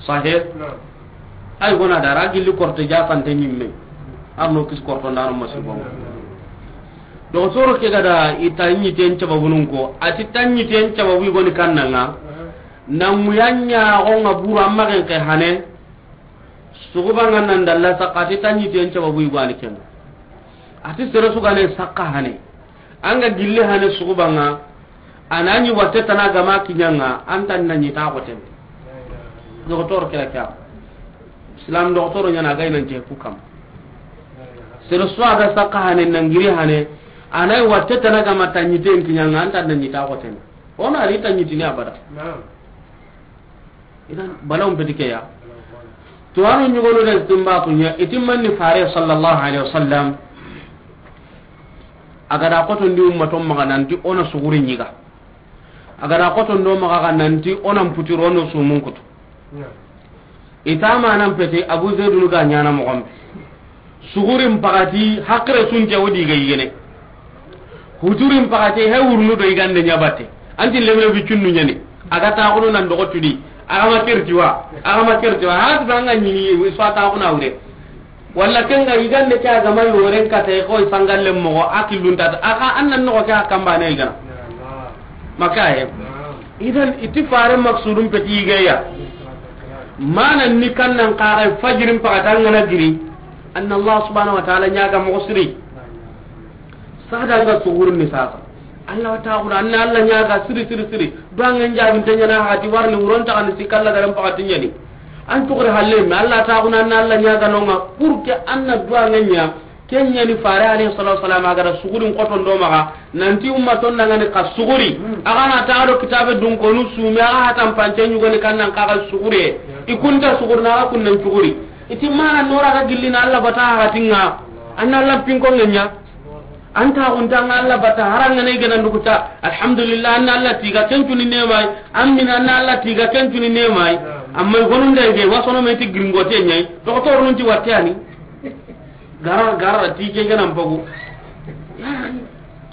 Sahih. Ay gona da ra gilli korte ja sante ɲimme. Arno kis korto ndano masibo. Dogotoro ke ga da i ta ɲiten cababunun ko, a ti ta ɲiten cababu i goni kannan ŋa. Na ŋuyanɲa go ŋa buru amma gen ke hane. Suguba ŋa nan dalla sakka ti ta ɲiten cababu i gani ken. A ti sere su gane sakka hane. An ga gilli hane suguba ŋa. A na ɲi watte tana gama kiɲa ŋa, an ta na ɲi ta xoten. Dogotoro kira kya. Islam dogotoro ɲana ga inan je ku kam. Sere su a ga sakka hane nan giri hane. A na watte tana gama ta ɲiten kiɲa ŋa, an ta na ɲi ta xoten. Ona ri ta ɲitini abada. Idan balawun peti ke ya. To anu ɲugonu da istinbatu ɲa, i ti manni fare sallallahu alaihi wasallam. A ga da xotondi ummaton maxa nanti ona suguri ɲiga. A ga da xotondo maxa ga nanti ona mputiro no sumun kutu. I ta manan peti Abu Zaidunu ga ɲana moxon be. Sugurin paxati, hakkire sunte wo di ga yigene. Huturin paxati, he wurunu do yigande ɲa batte. Anti lemine bi cunnu ɲani. A ga taxunu nan doxo tudi. A ga ma kerti wa. A ga ma kerti wa. Hati ba nga ɲini, so a taxuna wure. Walla ken ga yigande ke a ga ma yoren kate, ko sangalle moxo, a killunta. A ga an nan noxo ke a kambane yigana. Makaye. Idan, i ti fare maksudun peti yigeya. Mana ni kannan kaga fajirin paxata ngana giri. Anna Allah subhanahu wa ta'ala ɲaga moxo siri. Sada nga sugurin ni sasa. Allah wa ta'ala anna Allah ɲaga siri, siri, siri. Duwangen jabin tenyana hati warni wuron ta kan sikalla garan paxati ɲani. An tugure halle, mais Allah ta'ala anna Allah ɲaga nonga. Pour que anna duwangen ɲa. Ken ɲani fare alayhi salatu wasalam a ga da sugurin xotondo maxa, nanti ummaton dangani ka suguri. A ga na ta do kitabe dun konu sumi, a ga hatan pance ɲugoni kannan kaga sugure. I kunta suguri na ga kunnan suguri. I ti mana nora ga gillina Allah bata hatinga. Anna Allah pinko ngenya. Anta unta nga Allah bata haranga ne gana ndukuta. Alhamdulillah anna Allah tiga kencuni nemai. Amina anna Allah tiga kencuni nemai. Amma gonun da ge wasono me ti gringote nyai. Doktor nun ti watani. Gara, gara, ti ke ganan bagu. Ya,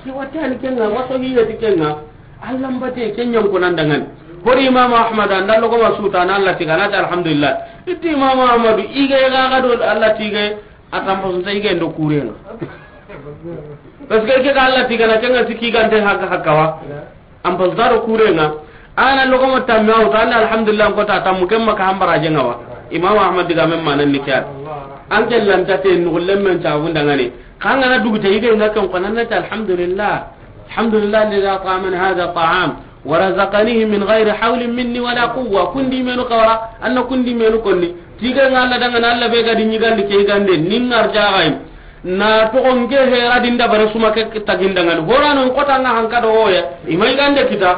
ke watte ani kenga, waso hiye ti kenga. Allah mbate kenyan ko nan dangan. Hori Imam Ahmad, an dallo ko masuta, na Allah tiga, na ta alhamdulillah. Itti Imam Ahmad, ige ga ga do Allah tiga, a tampa sunta ige ndo kurenga. Parce que ke ga Allah tiga, na kenga siki gante haka hakawa. An pasdaro kurenga. An na logomo tamme a wutu, an na alhamdulillah ko ta tammu, ken ma ka hambara jenga wa. Imam Ahmad digamen manan ni ke ya. An ke lanta te nuxullen men cabun dangani. Xa an ga na dugu te, i ga nga ken xo, an na ti alhamdulillah. Alhamdulillah alladhi at'amani hadha ta'am wa razaqanihi min ghayri hawlin minni wala quwwa. Kundi menu xawara, an na kundi menu konni. Ti i ga nga Alla dangana, Alla be ga di ɲigandi ke yigande, ni ngar jaxay. Na toxo nke hera di n dabare suma ke tagi n dangani. Horano n kota nga hanka do hoya. I ma yigande kita.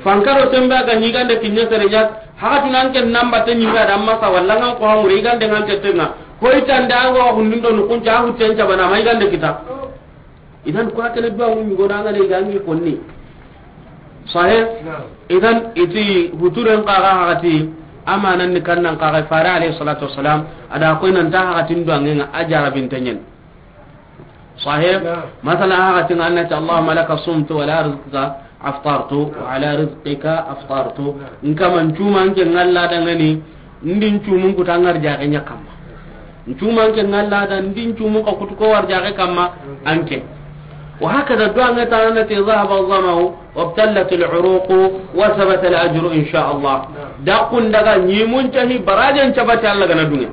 Fanka do sembe a ga ɲigande kiɲe sere ɲa. Haxatuna n ke namba te ɲime a da masa walla nga n ko hamure yigande nga n ke tenga. Hoy tande a ga wa hundun do nukunca a hutten cabana ma yigande kita. Idan ko hakene duwa mun yugo na ngane gangi konni. Sahih? Naam. Idan iti huturen qaga hagati amanan ni kannan qaga fare alayhi salatu wassalam, ada koy nan ta hagatin duwa ngenga a jarabin tanyen. Sahih? Naam. Masala hagatin anna ta Allahumma laka sumtu wa ala rizqika aftartu wa ala rizqika aftartu. Naam. Nkaman cuma nke ngalla dangani. Ndin cumun kuta ngar jaxe ɲa kamma. Ncuman ke ngalla da ndin cumun ka kutu ko war jaxe kamma anke. Wa hakada duwa nga ta na ti dhahaba adh-dhama'u wabtallat al-uruqu wa thabata al-ajru insha Allah. Daqun daga ɲimun cahi barajen cabati Alla gana dunge.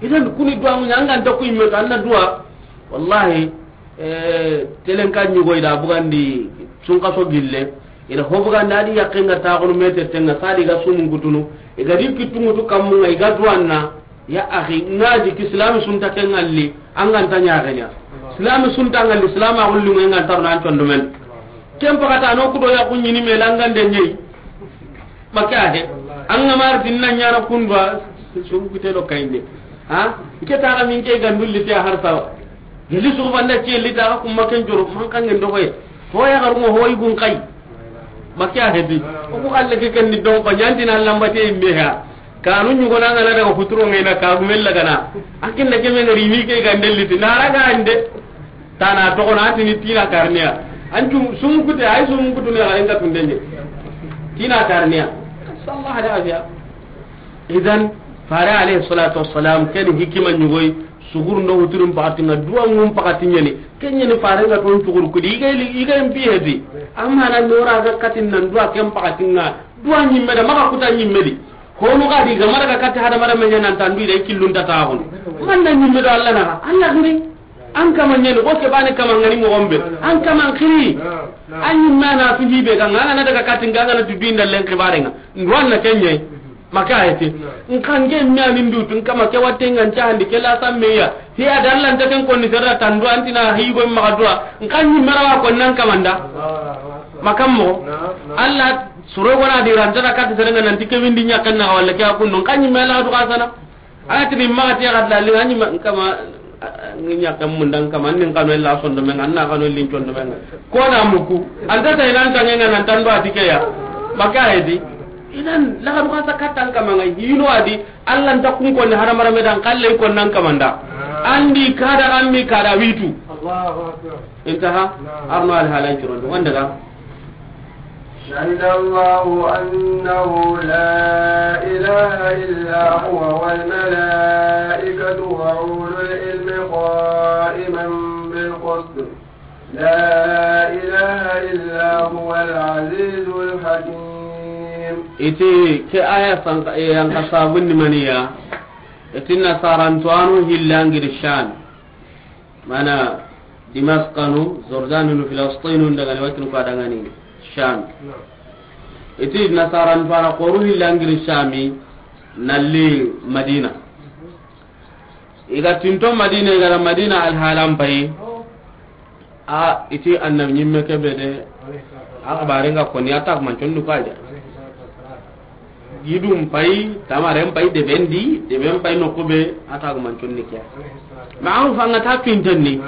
Idan kuni duwa mun anga nta ku imme to anna duwa. Wallahi, eh, telenka ɲugo ida bugandi sunkaso gille. Ida ho bugandi adi yakke nga taxunu mete tenga sadi ga sumun kutunu. Iga di kittungutu kammunga iga duwanna. Ya akhi, ngaji ki silami sunta ke ngalli, an ga nta ɲaxeɲa. Silami sunta ngalli, silama xulli mo nga ntarna an condo men. Ken pakata no kudo ya kunyini me langande ɲei. Maka he. An ga mar tinna ɲana kundwa, sun kute do kayinde. Ha? Ke ta ga min ke gandulli te har sawa. Gilli su banda ke li ta ga kuma ken joro, man kan ngendo koy. Ho ya garu mo hoy gun kay. Maka he di. O ko Allah ke ken ni don ko ɲantina lambate imbe ha. Kanu ɲugona ngana daga futuro ngena ka gumel lagana. Akin da keme ngari mi ke gandel liti. Na raga ande. Tana toxo na tini tina karniya. An cum sumukute, ay sumukutune xa en ka tundenye. Tina karniya. Sallallahu alaihi wasallam. Idan, fare alayhi salatu wassalam, ken hikima ɲugoy, sugur ndo huturum pakati nga duwa ngum pakati ɲeni. Ken ɲeni fare nga ton sugur kudi, iga ili, iga impi hedi. Amma na nora ga katin nan duwa ken pakati nga, duwa ɲimme da, maka kuta ɲimme di. Honu ga di, ga mara ga kati hada mara menya nan tandu ida ikillun ta taxun. Man na ɲimme do Allah na, Allah giri. An kama ɲeni, ko ke bane kama ngani mo gombe. An kama kiri. An ɲimme na su hibe ga, nga na daga katin nga na tu binda len kibare nga. Nduwan na kenye. Maka ayeti. Nka nge mi ani ndutu, nka ma ke watte ngan cahandi, ke la sammeya. Hiya da Allah nta ken konni serra tandu antina higo maga duwa. Nka ni marawa ko nan kamanda. Makam mo. Allah suro gona di ranta da kat serenga nan tike windi nyakan na wala ke akun non kan ni mela du kasana. Atini ma ti gat la li ani ma kama. Ngi ɲakke mun dan kama, nin kanu illa sondo men, anna kanu lin condo men. Ko na muku, anta ta inan tangen nan tando atike ya. Maka hedi. Inan la kanu kasa katan kama ngai hino adi, Allah nta kun ko ni haramara me dan kalle ko nan kamanda. Andi kada ammi kada witu. Allahu akbar. Intaha. Arno al halan curondo wanda ga. شهد الله أنه لا إله إلا هو والملائكة وأولو العلم قائما بالقسط لا إله إلا هو العزيز الحكيم. Iti ke aya sanka, e, yanka sabun ni maniya. Iti nasarantuwanu hillangiri Sham. Mana Dimaskanu, Jordanu, Filastinu, daga ni watin ko daga ni Sham. Iti nasaran fara koru hillangiri Shami, nalli Madina. Iga tinto Madina, iga Madina alhalan payi. A, iti annabi ɲimme kebe de. Akbare nga koni atak mancon du kaja. Gidum pay, tamaren pay, deben di, deben pay no kube, ata go mancon ni kiya. Ma'ruf anga ta pinten ni.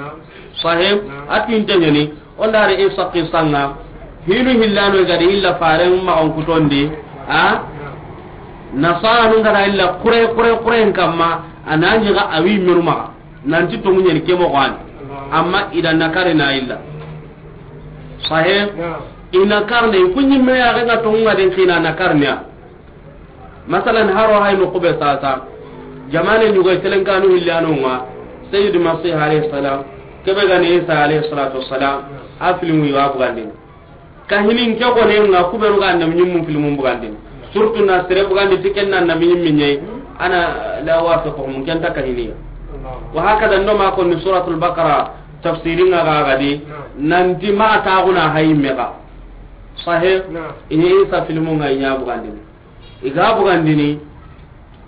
Sahib, a pinten ni. Onda re e sakki sanga. Hinu hillano gadi illa faren ma on kutondi. Ha? Nasara nun gada illa kure, kure, kure kamma. Ananji ga awi menuma. Nanti tongu ɲeni ke moxo ani. Amma ida nakari na illa. Sahe? Ina karne, i ku ɲimme ya ga tongu nga den kina nakarne ya. Masalan, haro hay no kube sasa. Jamane ɲugo telenkanu hillanu nga. Sayyid Masih alayhi salam. Kebe gani Isa alayhi salatu wassalam. A filimu yi wa bugandini. Kahinin ke gone nga ku beenu ga annabi ñimmun filmun bugandini. Surtout na sere bugandi ti ken na annabi ñimmi ñayi. Ana la wafiquhum, ken ta kahiniya. Wa hakada ndo ma konni Suratul Baqara tafsiri nga ga gadi. Nanti ma ta guna hayi mega. Sahe. Ini Isa filmu nga iña bugandini. I ga bugandini,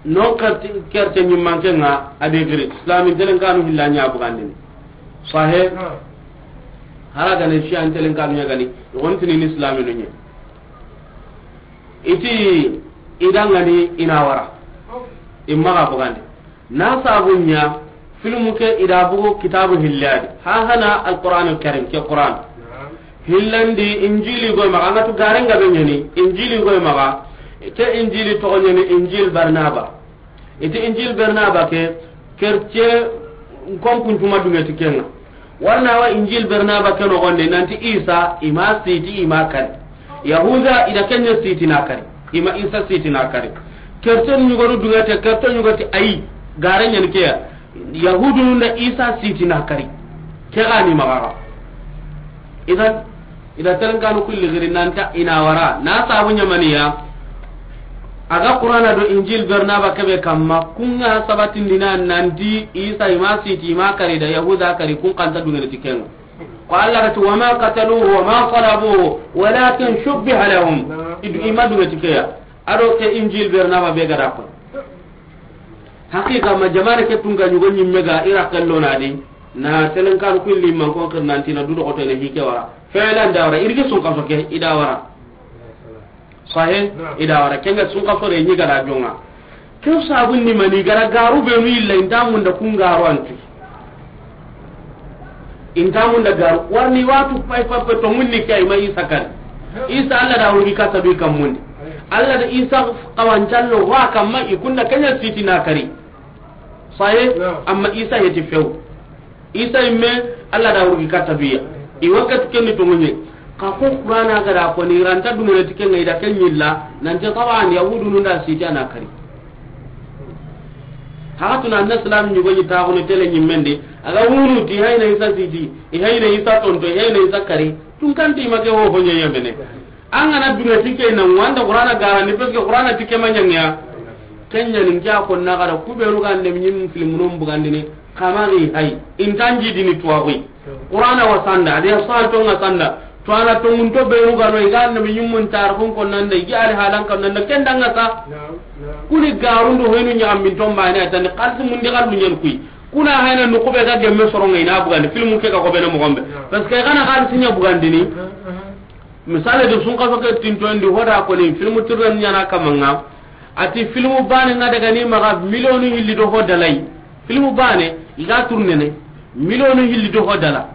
non kerte, kerte ñimmanke nga, a be giri, Islamin telen kanu hilla ña bugandini. Sahe, hara gane Shiyan telen kanu ña gani, i gontini ni Islaminu ñe. Iti, i dangani, i na wara. I maxa bugandi. Na sabu ña, filmu ke i da bugu kitabu hilladi. Ha hana Alquran Alkarim, ke Quran. Hillandi Injili goy maxa, an ga tu garen ga be ñani, Injili goy maxa, ke Injili toxo ñani Injil Barnaba. Iti Injil Barnaba ke, kerce nkonkuncuma dungeti kenga. Warna wa Injil Barnaba ke noxonde, nanti Isa, i ma siti, i ma kari. Yahuda, i da kenya siti na kari. I ma Isa siti na kari. Kerce ñugonu dungete, kerce ñugoti ayi, gare ñani keya. Yahudunu nda Isa siti na kari. Ke gani maxa. Idan, i da telen kanu kulli giri nanta i na wara. Na sabu ñamaniya. A ga Qur'ana do Injil Barnaba kebe kamma, kunga sabatindina nanti Isa i ma siti, i ma kari da Yahuda kari, kun kanta dungene ti kenga. Ko Allah ga ti, "Wa ma qataluhu wa ma salabuhu, walakin shubbiha lahum." Idu i ma dunge ti keya. Ado ke Injil Barnaba be ga da ko. Haqiqa ma jamane ke tunga ñugo ñimme ga i ra kallo na di. Na telen kanu kulli man ko kirnantina du do ko tele hike wara. Felan da wara, irgi sun kaso ke, i da wara. Sahe, i da wara, kenga sun kaso re ñi ga da jonga. Ke sabun ni mani gara garu benu illa inta munda kun garu anti. Inta munda garu, warni watu pay pay pay to munni ke ay ma Isa kari. Isa Allah da wuri kata bi kam mundi. Allah da Isa kawancallo wa kamma i kunda kenya siti na kari. Sahe, amma Isa heti few. Isa imme, Allah da wurgi katta biya. I wakati kenni to munye. Ka ko Qur'ana ga da ko ni ranta dungene ti kenga i da ken ñilla, nanti taban Yahudunu nda siti a na kari. Hakatuna anna Islam ñugo ñi taxunu tele ñimmendi, a ga wunu ti hayna Isa siti, i hayna Isa tonto, i hayna Isa kari. Tun kanti make ho ho ñe yemene. An ga na dungene ti ke na wanda Qur'ana garani, parce que Qur'ana ti ke ma ñangiya. Kenya nin kya ko na ga da ku beenu ga annabi ñimmu filmunun bugandini. Kamari hay, intanji dini tuwaxuy. Qur'ana wa sanda, adi ya sal tonga sanda. To ana tongun to beenu ga no i ga annabi ñimmun tarixun ko nanda, i ga ali halan kan nanda, ken danga sa. Kuni garundu hoynu ñaxambin tombane a tani xalisi mundi xallu ñen kuy. Kuna hayna nu kube ga gemme soronga i na bugandi, filmu ke ga ko bene moxombe. Parce que i ga na xalisi ña bugandini. Misale do sun kaso ke tintondi hoda ko ni filmu tirren ñana kamanga. Ati filmu bane nga daga ni maga milionu hilli do hodalay. Filmu bane i ga tournene milionu hilli do hodala.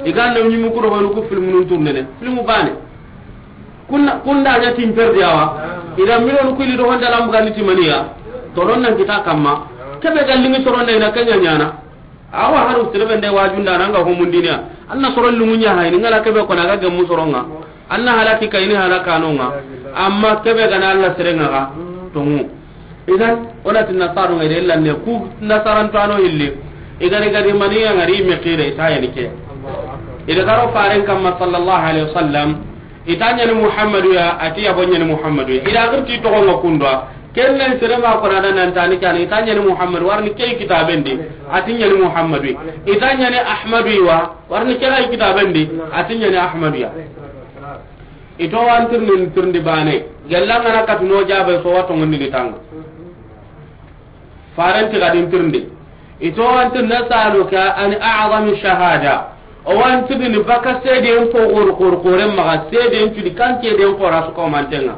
I ga na ñimu ku do honu ku filmu nun tournene. Filmu bane. Kunna, kunda nya tin perdi awa. I da milionu ku hilli do hodala mbuga ni timaniya. Toron nan kita kamma. Kebe gallingi toron na ina kenya ñana. Awa haru tirebe nde wajunda nanga ho mundiniya. Anna soro lungu ña hayni ngala kebe kona ga gemu soronga. Anna halaki kayni halaka nonga. Amma kebe gana Allah serenga ga tongu. Idan, onati nasaru ngai de lanne ku nasaran tano hilli. Igari gari maniya ngari me kire itayani ke. Ida garo faren kamma sallallahu alaihi wasallam. Itanyani Muhammadu ya, ati ya bonyani Muhammadu ya. Ida girti togo nga kundwa. Kenne sere ma kona da nan tani kan itanyani Muhammadu warni kay kitaben di. Atinyani Muhammadu. Itanyani Ahmadu wa warni kay kitaben di. Atinyani Ahmadu ya. Ito wantirni tirndi bane. Gellanga na katuno jabe so wato ngondi ni tanga. Farenti gadin tirndi. Ito wanti nasaluka an a'zami shahada. O wanti ni baka seden ko gor gor goren maga seden tudi kan seden ko rasu ko mantenga.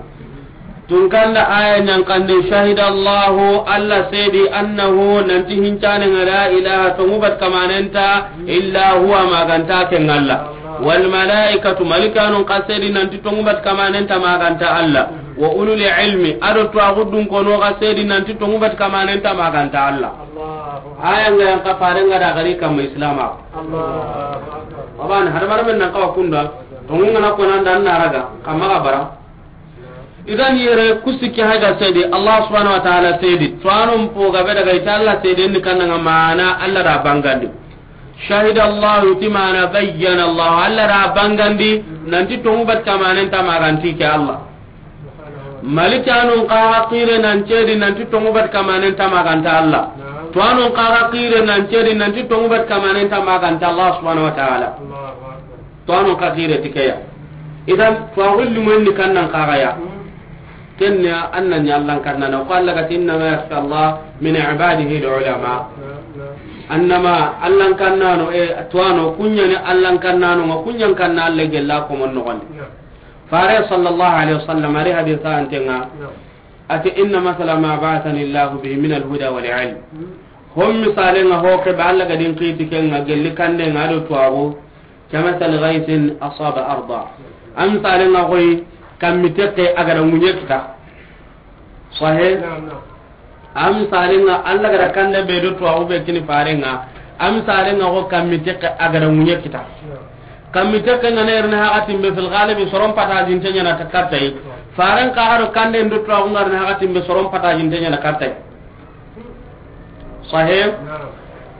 Tun kanda aya ñan kande, "Shahida Allahu," Allah sedi, "annahu," nanti hincane nga, "la ilaha," tongubat kamanenta, "illa huwa," maganta ke ngalla. "Wal malaikatu," malikanun ka sedi nanti tongubat kamanenta maganta Allah. "Wa ulul ilmi," ado tuwaxu dunkono ka sedi nanti tongubat kamanenta maganta Allah. Aya nga yan ka fare nga da gari kamma islama. Abana hadamar men nan kawa kunda. Tongu ngana konanda an naraga kamma ga bara. Idan yere ku sikki hayga sedi, Allah subhanahu wa ta'ala sedi. Tuwanon po gabe daga ita Allah sedi ni kananga mana Allah da bangandi. Shahida Allahu, ti mana bayyana Allahu, Allah ra bangandi, nanti tongu bat kamanen ta maganti ke Allah. Malikanun kaga kire nan cedi nanti tongu bat kamanen ta maganta Allah. Tuwanun kaga kire nan cedi nanti tongu bat kamanen ta maganta Allah subhanahu wa ta'ala. Tuwanun ka kire tikeya. Idan tuwa gulli mun ni kannan kaga ya. Kenya annan ya Allah kannana ko Allah gati innama yakhsha Allah min ibadihi al-ulama. Annama Allah kannano e tuwano kunyani Allah kannano ma kunyan kanna Allah gella ko mon no gonde. Fare sallallahu alaihi wasallam ari hadisa antenga. Ati inna masala ma ba'athani Allah bihi min al-huda wal ilm. Hom misale nga ho ke ba Allah gadin qiti kenga gelli kande nga do tuwago. Kamasali ghaythin asaba arda. Am sare nga koy kammi tekke agara munye kita. Sahih. Am sare nga Allah gara kande be do tuwago be kini fare nga. Am sare nga ko kammi tekke agara munye kita. Kammi tekke nga ne rene hakatin be fil ghalibi soron pata jinte nyana ta kartai. Faren ka haro kande ndo tuwago nga rene hakatin be soron pata jinte nyana kartai. Sahih.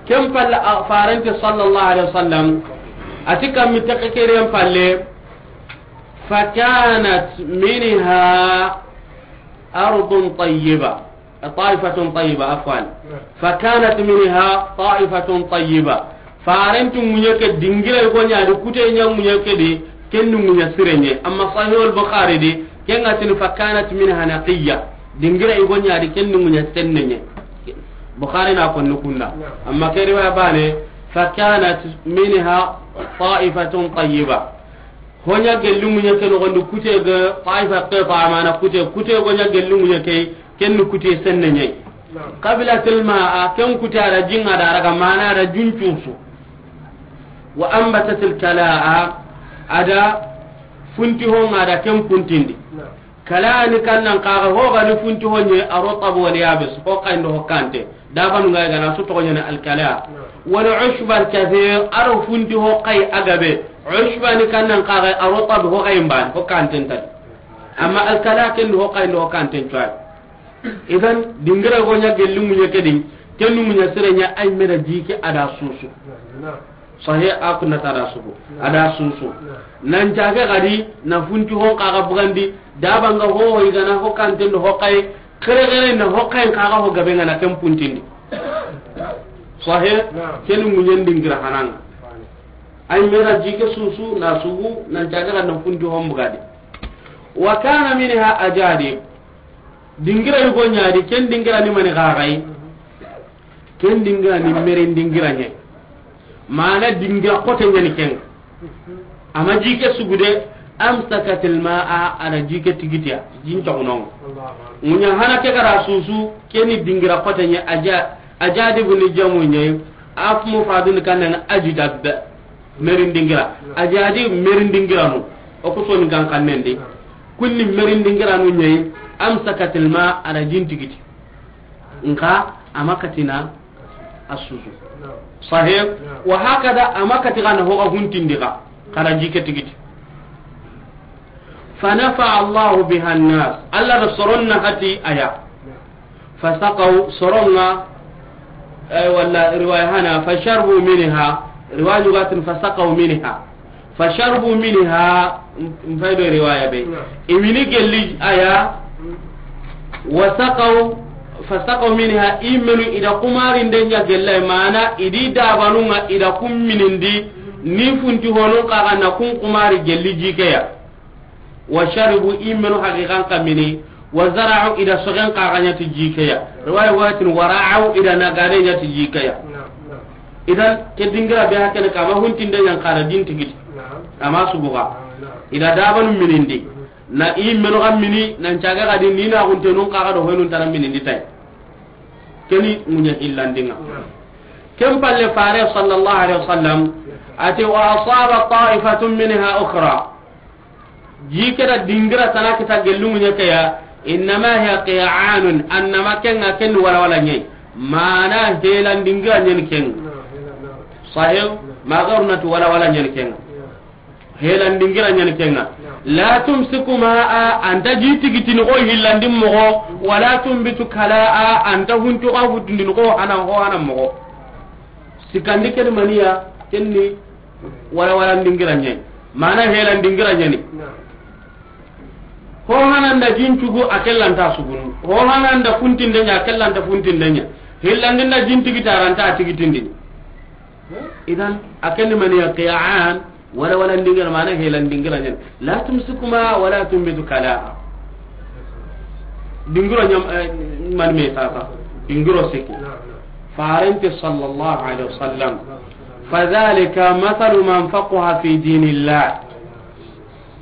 Kem palle a farante sallallahu alaihi wasallam ati kammi tekke keren palle. Fakanat minha ardun tayyiba, ta'ifatun tayyiba, afwan. Fakanat minha ta'ifatun tayyiba. Farentu ŋuɲe ke dingira i go ɲa di kute ɲa ŋuɲe ke di. Ken ni ŋuɲa sirenye amma Sahih al-Bukhari di. Ken ga tini fakanat minha naqiyya. Dingira i go ɲa di ken ni ŋuɲa sennenye. Bukhari na konni kunda. Amma ke riwaya bane fakanat minha ta'ifatun tayyiba. Hoɲa gelli ŋuɲe ke nogondi kute ga ta'ifa ke fa amana kute kute go ɲa gelli ŋuɲe ke. Ken ni kute sennenye. Qabilatil ma'a, ken kuti a da jinga da raga mana da juncusu. Wa anbatatil kala'a, a da funti honga da ken puntindi. Kala'a ni kannan kaga hoga ni funti honye ar-rutab wal yabis, ho kayndo ho kante. Da banu ngai gana su to nyana al kala'a. Wal ushbal kathir, aro funti ho kay agabe. Ushba ni kannan kaga ar-rutab ho kay mban ho kanten tadi. Amma al kala'a ken ho kayndo ho kanten tuwa. Idan dingira go ɲa gelli ŋuɲe ke di. Ken ni ŋuɲa sire ɲa ay mera jike a da susu. Sahih a kunna ta da susu. A da susu. Nan jage gadi na funti hon kaga bugandi. Da banga ho ho igana ho kanten do ho kay. Kere kere na ho kay kaga ho gabe ngana ken puntindi. Sahih. Ken ni ŋuɲen dingira hananga. Ay mera jike susu na sugu nan jage gadi na funti hon bugadi. Wa kana minha ajadib. Dingira yugo ɲa di ken dingira ni mani gagai. Ken dingira ni merin dingira ɲe. Mana dingira kote ɲani ken. Ama jike sugude amsakatil ma'a a da jike tigitiya jin tagunon. Ŋuɲa hana ke gara susu ken ni dingira kote ɲe aja ajadibu ni jamu ɲe. Af mufradun kanan ajdab. Merin dingira. Ajadib merin dingira no. O ko soni gan kannen de. Kunni merin dingira no ɲe. Amsakatil ma a da jin tigiti. Nka ama katina a susu. Sahih. Wa hakada ama kati kana hoga huntindi ka. Kana jike tigiti. Fa nafa Allahu biha an-nas. Allah da soron na hati aya. Fasaqaw soronga. Ay wala riwaya hana fasharbu minha. Riwaya gatin fasaqaw minha. Fasharbu minha. Mfaido riwaya be. Imini gelli aya. Wasaqaw fasaqaw minha imenu ida kumari ndenya gella mana idi dabanunga ida kumminindi. Ni funti hono kaga na kun kumari gelli jikeya. Wa sharibu imenu haqiqan kamini. Wa zara'u ida sogen kaga nyati jikeya. Riwaya watin wara'u ida nagare nyati jikeya. Idan ke dingira be hakene kama huntinde yan kara din tigiti. Ama subuga. Ida daban minindi. Na imenu kam mini nan caga gadi ni na hunte nun kaga do hoynun tara minindi tay. Keni munya illandinga. Ken palle fare sallallahu alaihi wasallam ati wa asaba ta'ifatun minha ukhra. Jikeda dingira tana kita gellungu ɲekeya. Innama hiya qi'anun annama kenga ken wala wala ɲe. Mana helan dingira ɲen ken. Sahih. Magaruna tu wala wala ɲen ken. Helan dingira ɲen kenga. La tumsiku ma'a anta ji tigitini ko hillandin mogo. Wala tumbitu kala'a anta huntu ka hutundin ko hana ho hana mogo. Sikkandi ken ni maniya, ken ni wala wala dingira ɲa ni. Mana hela dingira ɲa ni. Ho hana nda jin cugu a ke lanta sugunu. Ho hana nda funtinde ɲa a ke lanta funtinde ɲa. Hillandi nda jin tigiti a ranta a tigitindini. Idan a ken ni maniya qiya'an. Wala wala dingira mana hela dingira ɲa ni. La tumsiku ma wala tunbitu kala. Dingiro ɲam, eh, man me sasa. Dingiro siki. Farente sallallahu alaihi wasallam. Fadhalika mathalu man faqiha fi dinillah.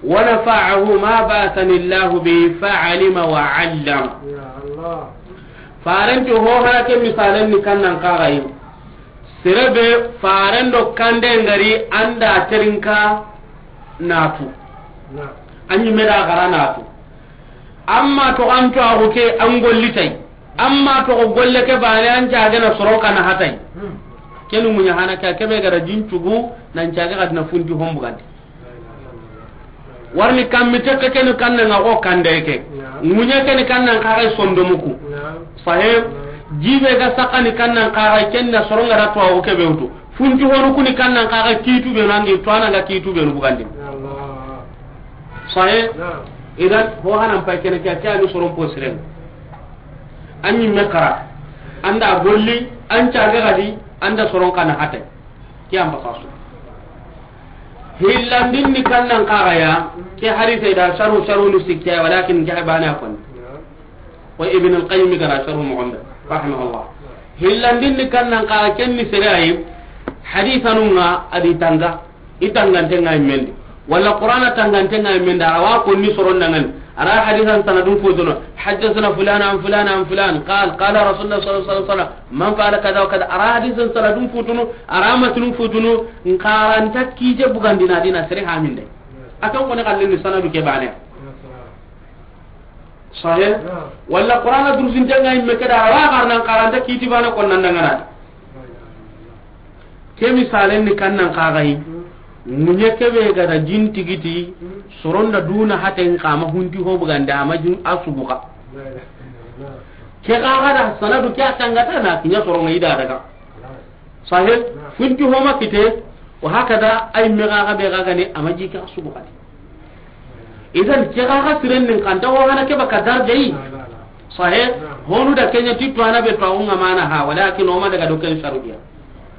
Wa nafa'ahu ma ba'athani Allahu bihi fa'alima wa 'allama. Farente ho hana ke misalen ni kannan kaxayi. Sere be faren do kande ngari anda terinka natu. Anyi meda gara natu. Amma to an to ago ke an golli tay. Amma to golle ke bane an jage na soro kana hatay. Kenu munya hana ka kebe gara jin cugu nan jage kadna fundi hombu gande. Warni kammi tekke kenu kanna nga ko kande ke. Munya kenu kanna kaga sondomuku. Sahe. Jibe ga sakani kanna kaga kenna soronga ra to ago kebe utu. Funti honu kuni kannan kaga kitu be nangi to ana ga kitu be no bugandi. Sahe. Idan ho hanan pay kene kya kya ni soron posiren. Anyi mekara. Anda golli an caga gadi anda soron kana hate. Kya amba fasu. Hillandin ni kannan kaga ya ke hadise da sharu sharu ni sikke walakin jahbana kon. Wa Ibn al-Qayyim gara sharhu Muhammad rahimahullah. Hillandin ni kannan ka ken ni sere ayi. Hadisanun nga adi tanga. I tangante nga mendi. Wala Qur'ana tangante nga mendi. Ara wa ko ni soron dangan. Ara hadisan sanadun futuno. Haddathana fulan an fulan an fulan. Qal, qala Rasulullah sallallahu alaihi wasallam. Man fa'ala kadha wa kadha. Ara hadisan sanadun futuno. Ara matnun futuno. Nkaranta kije bugandina dina sere haminde. Akan ko ne kallin sanadu ke bane. Sahe. Wala Qur'ana durusinte nga imme keda, awa garnan karanta kiti bana kon nan dangana. Ke misalen ni kannan kagayi. Munye kebe gada jin tigiti, soronda duna haten kama hunti ho bugande ama jin asubuka. Ke gaga da sanadu ke atangata na kinya soronga ida daga. Sahe, funti homa kite, wa hakada ay mega ga be ga gani amaji ka sugu kadi. Idan ke ga ga siren nin kanta wa hana ke baka darjayi. Sahe, honu da kenya ti to ana be to nga mana ha, walakin o ma daga do ken sharudiya.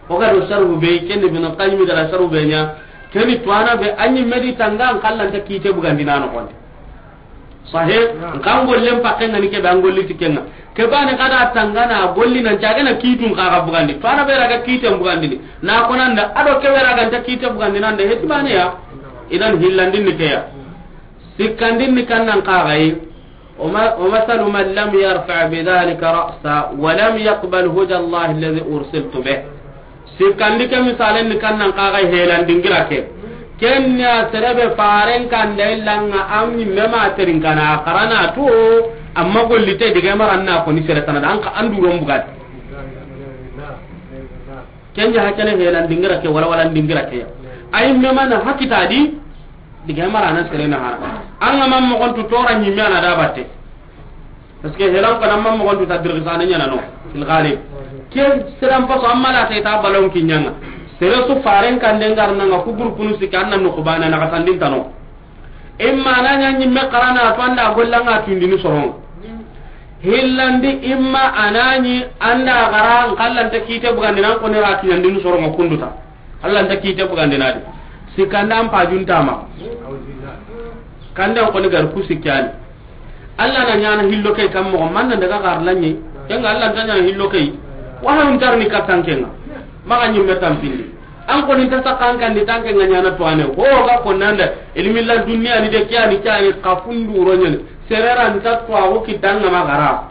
O ga do sharu be ken Ibn Qayyim da sharu be nya, keni to ana be anyi medi tanga an kallanta kite bugandina no konde. Sahe, nkan gollen pakke ngani ke be an golli ti kenga. Ke bane kada tangana golli nan caga na kitun kaga bugandi. To ana be raga kiten bugandi ni. Na konanda ado ke be raga ta kite bugandi nan de heti bane ya. Idan hillandin ni ke ya. Sikkandin ni kannan kaga yi. Wa ma-, wa masalu man lam yarfa bi dhalika ra'sa wa lam yaqbal huda Allah alladhi ursiltu bih. Sikkandi ke misalen ni kannan kaga helan dingira ke. Kenya serebe faren kanda illanga amni mema terin kana karana to amma golli te diga maranna ko ni sere tanada an ka andu rombugat. Kenya hakene helan dingira ke wala wala dingira ke. Ay mema na hakita di diga marana sere na hara. An ga mam mo kontu tora ni mena da batte. Parce que helan kana ma mogon ta dirgisana ɲana no, fil ghalib. Ke seran paso amma la ta ita balon kinyanga. Sere su faren kande ngarna nga ku groupe nu sika anna no kubana na katandin tano. Imma ananya nyimme karana to anda gollanga tundini soron. Hillandi imma ananyi anda gara nkallanta kite bugandi nan ko ne ra kinyandini soron kunduta. Allah nta kite bugandinadi. Sikanda an pajun tama. Kanda ko ni gar ku sikkani. Allah na ɲana hillo kay kam mo man nan daga gar lanye. Kenga Allah nta ɲana hillo kay. Wa han tarni katan kenga. Maga nyimme tampindi. An ko ni ta sakan kan di tanke nga ɲana to ane. Ho ga ko nanda ilmi la dunya ni de kyani kyani kafundu ro nyani. Serera nta to awo kitanga magara.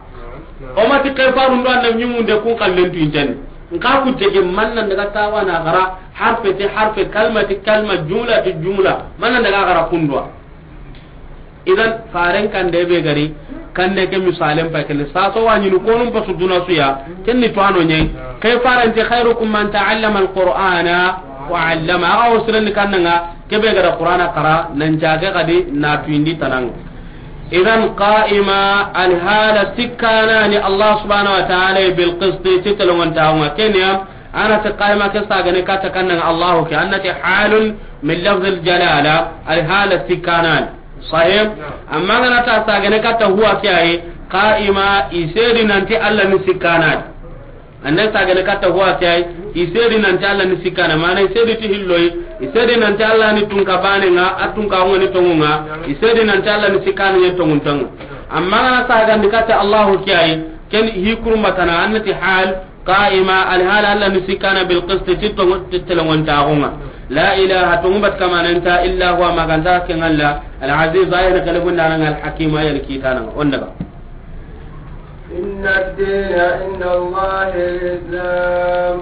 O mati ke faru ndo annabi ɲimunde kun kallen tu inteni. Nka ku tege man nan daga tawana gara, harfe te harfe, kalma te kalma, jumla te jumla. Man nan daga gara kundwa. Idan faren kande be gari, kande ke misalen pa kele. Sa so wani nu konum pa suduna suya, kenni to ano nye. Ke faren te khairukum man ta'allama al-Qur'ana wa 'allama. Aga o siren kannanga, ke be gara Qur'ana kara, nan jage kadi na tuindi tanang. Idan qa'ima, alhala sikkanani Allah subhanahu wa ta'ala bil qisti, ti telongon taunga kenya, An na ti qaima ke sagane katta kannan Allahu ke, an na ti halun min lafzil jalala, al hala sikkanan. Sahih? Amma an ga na ta sagane katta huwa ke ayi, qaima, i sedi nanti Allah ni sikkanadi. An na sagane katta huwa ke ayi, i sedi nanti Allah ni sikkana, mana i sedi ti hilloyi, i sedi nanti Allah ni tunka bane nga, a tunka nga ni tongu nga, i sedi nanti Allah ni sikkana ni tongu tongu. Amma an ga na sagandi katta Allahu ke ayi, ken hi kurumbatana, an na ti hal, qaima, al hala Allah ni sikkana bil qist, ti tongu, ti telongontaxu nga. La ilaha, tongu bat kama nanta, illa huwa, ma ga nta ken Allah, al aziz, a ya ni galabundaana nga, al hakim, a ya ni kiitaana nga. On daga. إن الدين عند الله الإسلام،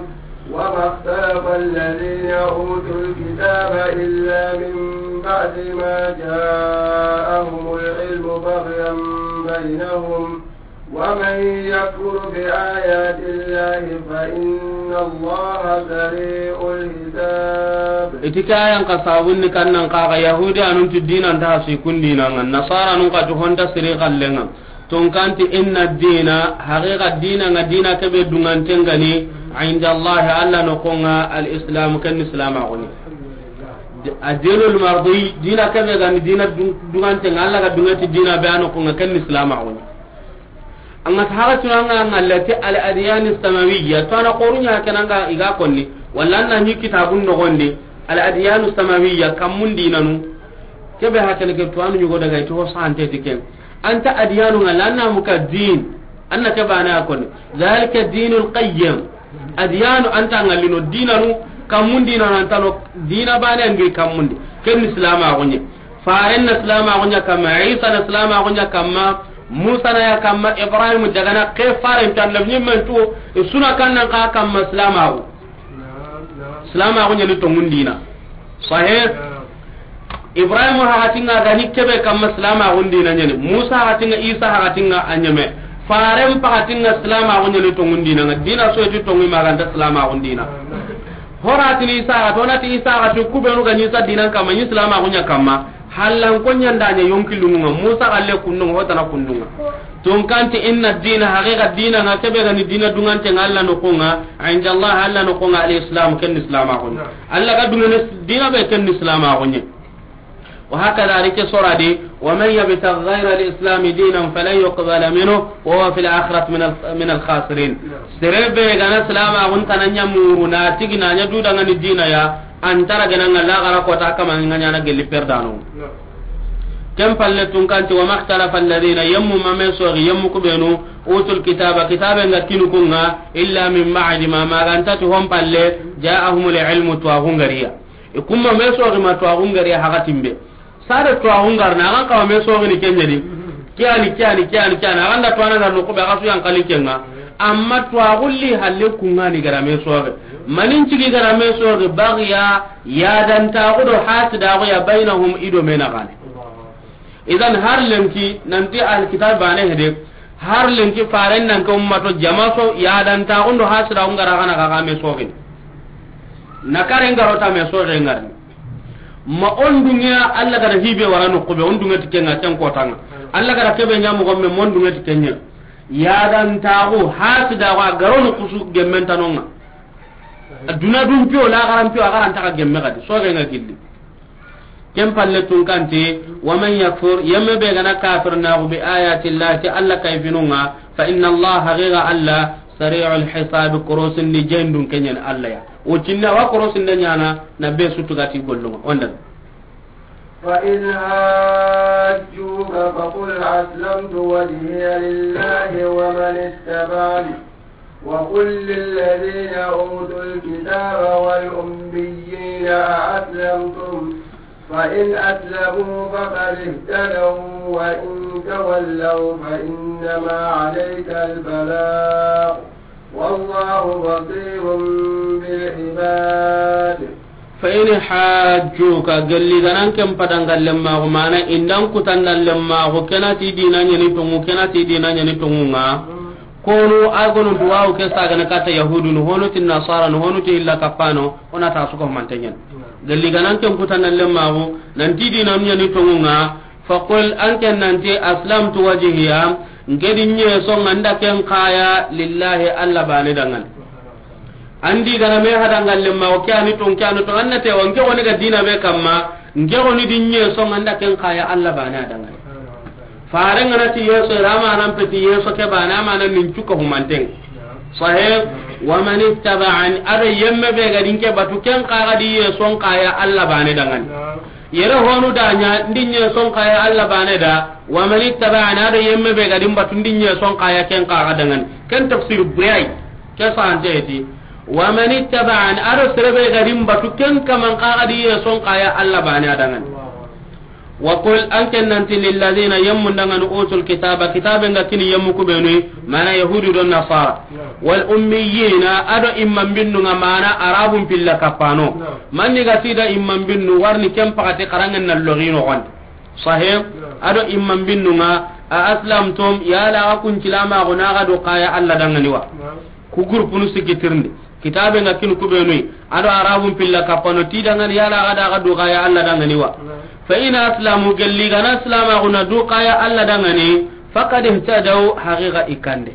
وما اختلف الذين أوتوا الكتاب إلا من بعد ما جاءهم العلم بغيا بينهم، ومن يكفر بآيات الله فإن الله سريع الحساب. I ti ke ayan xa sabunni kannan xa ga Yahudi anun ti diinan ta hasi kun diina nga, Nasara nun xa ti honta siri xallen nga. Tunkanti inna dina, haqiqa diina nga, diina ke be dunganten ga ni, inda Allah, Allah noxon nga, al islam, ken ni silamaxu ni. Ad dinul mardi, diina ke be ga ni diina dun-, dunganten nga, Allah ga dunganti diina be a noxon nga, ken ni silamaxu ni. An ga ta haga tuna nga, nga lati al adyan samawiyya, to a na xoru ɲa ken nga i ga konni, walla an na ɲi kitabun noxon di, al adyan samawiyya, kammun diinanu. Ke be hakene ke, to a na ɲugo daga i ti ho sante ti ken. An ta adiyanu nga, lanna muka din. An na ke bana ya koni. Zalika dinul qayyim. Adiyanu an ta nga lino diinanu, kammun diinanu an ta no, diina bana ngi kammun di. Ken ni silamaxu ɲa. Faren na silamaxu ɲa kamma, Isa na silamaxu ɲa kamma, Musa na ya kamma, Ibrahim daga na ke faren tan lam ɲimmen tu, suna kannan xa kamma silamaxu. Silamaxu ɲa ni tongun diina. Sahih? Ibrahima hakatinga ga ni kebe kamma silamaxun diina ɲa ni. Musa hakatinga, Isa hakatinga a ɲeme. Faren pakatinga silamaxu ɲa ni tongun diina nga. Diina soyeti tongu ma ga nta silamaxun diina. Horatini Isa haka, to nati Isa haka ti kubenu ga ni sa diinan kamma, ni silamaxu ɲa kamma. Hallan ko ɲanda ɲa yonki lungunga, Musa galle kundunga, hotana kundunga. Tunkanti inna dina, haqiqa diina nga, kebe ga ni diina dungante nga Allah noxon nga, inda Allah, Allah noxon nga, al islam, ken ni silamaxu ni. Allah ga dungene diina be, ken ni silamaxu ni. Wa hakada ri ke sora di, wa man yabtaghi ghayra al islam dinan falan yuqbala minhu wa huwa fil akhirati min al, min al khasirin. Sere be ga na silamaxun tana ɲa muru na tigi na ɲa dudanga ni diina ya, an ta ra gana nga laxara kota kama nga ɲa na gelli perdano. Ken palle tunkanti, wa makhtalafa alladhina, yemmu ma me soxi, yemmu kubenu, utul kitaba, kitabe nga kinu kunga, illa min ba'di ma, ma ga nta ti hon palle, ja'ahumul ilmu, tuwaxu nga ri ya. I kumma me soxi ma tuwaxu nga ri ya hakatimbe. Sare tuwaxu nga ri na, a ga n kawa me soxini ken ɲa di. Kiyani, kiyani, kiyani, kiyani. A ga nda tuwana nga ri no kube, a ga su yan kali kenga. Amma tuwaxu li halle kunga ni ga ra me soxi. Manin cigi ga ra me soxi, bagiya, yadantaxu do hasidaxu ya, baynahum, i do me naxane. Idan har lenki nanti alkitab bane hede, har lenki faren nan ka ummato jamaso yadantaxu do hasidaxu nga ra gana ga me soxini. Na kare nga ro ta me soxe nga ri. Ma on dungiya, Allah ga da hibe wara no kube, on dungiya ti kenga ken kotanga. Allah ga da kebe ɲa mo gomme, mon dungiya ti kenya. Yadantaxu, hasidaxu, a ga ro no kusu gemmen tanonga. Aduna dun piyo, laxaran piyo, a ga ra nta xa gemme gadi. Soxe nga gilli. Ken palle tunkanti, wa man yakfur, yemme be ga na kafir naxu, bi ayati Allah, ti Allah kayfinunga, fa inna Allah, haqiqa Allah, sari'ul hisab, korosindi jendun kenyen Allah ya. O cinna wa korosinde ɲana, na be sutugati gollunga. Onda. فإن حاجوك فقل أسلمت وجهي لله ومن اتبعني، وقل للذين أوتوا الكتاب والأميين أأسلمتم؟ فإن أسلموا فقد اهتدوا، وإن تولوا فإنما عليك البلاغ، والله بصير بالعباد. فإن حاجوك، gelli ga nan ken padangallen maxu, mana i nda n kutandan lemmaxu, ken na ti diina ɲa ni tongu, ken na ti diina ɲa ni tongu nga. Kono a ga no duwawu ke sagana kata yahudunu, honu ti nasaranu, honu ti illa kapano, o na ta suko mantenyen. Gelli ga nan ken kutandan lemmaxu, nan ti diina ɲa ni tongu nga, فقل، an ken nanti, أسلمت وجهي، n ke di ɲeso nga nda ken kaya, لله، Allah bane dangan. An di gana me hada ngalle ma, o ke a ni ton, ke a ni ton, an na te wa, n ke xo ni ga dina be kamma, n ke xo ni di ɲeso ŋa, an da ken xa ya Alla baane a da ŋa ni. Faare ŋa na ti yeso, ra ma nan peti yeso ke baane, a ma nan nin cuka humanten. Sahih. Wa man ittaba'ani, a do yemme be ga di n ke batu, ken xa ga di yeso n xa ya Alla baane da ŋa ni. Yere honu da ɲa, n di ɲeso n xa ya Alla baane da, wa man ittaba'ani, a do yemme be ga di n batu, n di ɲeso n xa ya ken xa ga da ŋa ni. Ken tafsir bure yi, ke sante ti. Wa man ittaba'ani, a do sere be ga di n batu, ken kaman xa ga di yeso n xa ya Alla baane a da ŋa ni. Wa qul, an ke nan ti, lilladhina, yemmun da ŋa ni, utul kitaba, kitabe nga kini yemmu ku be nu, mana Yahudu do Nasara. Wal ummiyina, a do imman binnu ŋa, mana Arabun pilla kappano. Manni ga ti da imman binnu, warni ken paxati xaranŋen na logi noxon di. Sahih. A do imman binnu ŋa, a aslamtum, yala ga kun silamaxu na ga du xa ya Alla da ŋa ni wa. Ku gurupunu sikki tirindi. Kitabe nga kini ku be nu yi, a do Arabun pilla kappano ti da ŋa ni, yala ga da ga du xa ya Alla da ŋa ni wa. Fa in aslamu, gelli ga na silamaxu na du xa ya Alla da ŋa ni, faqad ihtadaw, haqiqa i kande.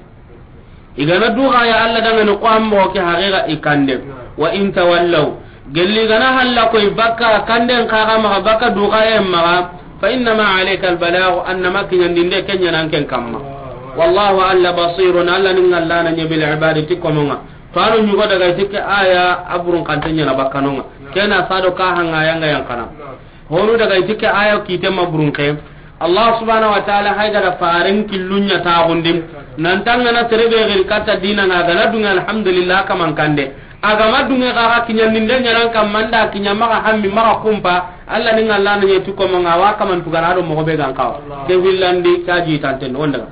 I ga na du xa ya Alla da ŋa ni, ko an moxo ke haqiqa i kande. Wa in tawallaw, gelli ga na halla koy bakka kanden xa ga maxa, bakka du xa ya maxa, fa innama alayka albalagh, annama kiɲandinde ken ɲa na an ken kamma. Wallahu, Alla, basirun, Alla ni ŋallana ɲa, bil ibadi, ti komo ŋa. To a do ɲugo daga i ti ke aya a burun xante ɲa na bakkano ŋa. Ken na sa do ka hanga yanga yankana. Honu daga i ti ke aya kite ma burun ke. Allah subhanahu wa ta'ala hay ga da faren killu ɲa taxundi. Nan tangana sere be giri katta dina ŋa, a ga na dunŋe, alhamdulillah, kaman kande. A ga ma dunŋe, xa ga kiɲandinde ɲa na an kamma, n da kiɲa maxa hammi, maxa kumpa. Alla ni ŋallana ɲa ti komo ŋa, wa kaman tugana do moxo be ga n xawa. Ke hillandi, ka ji tanten, on daga.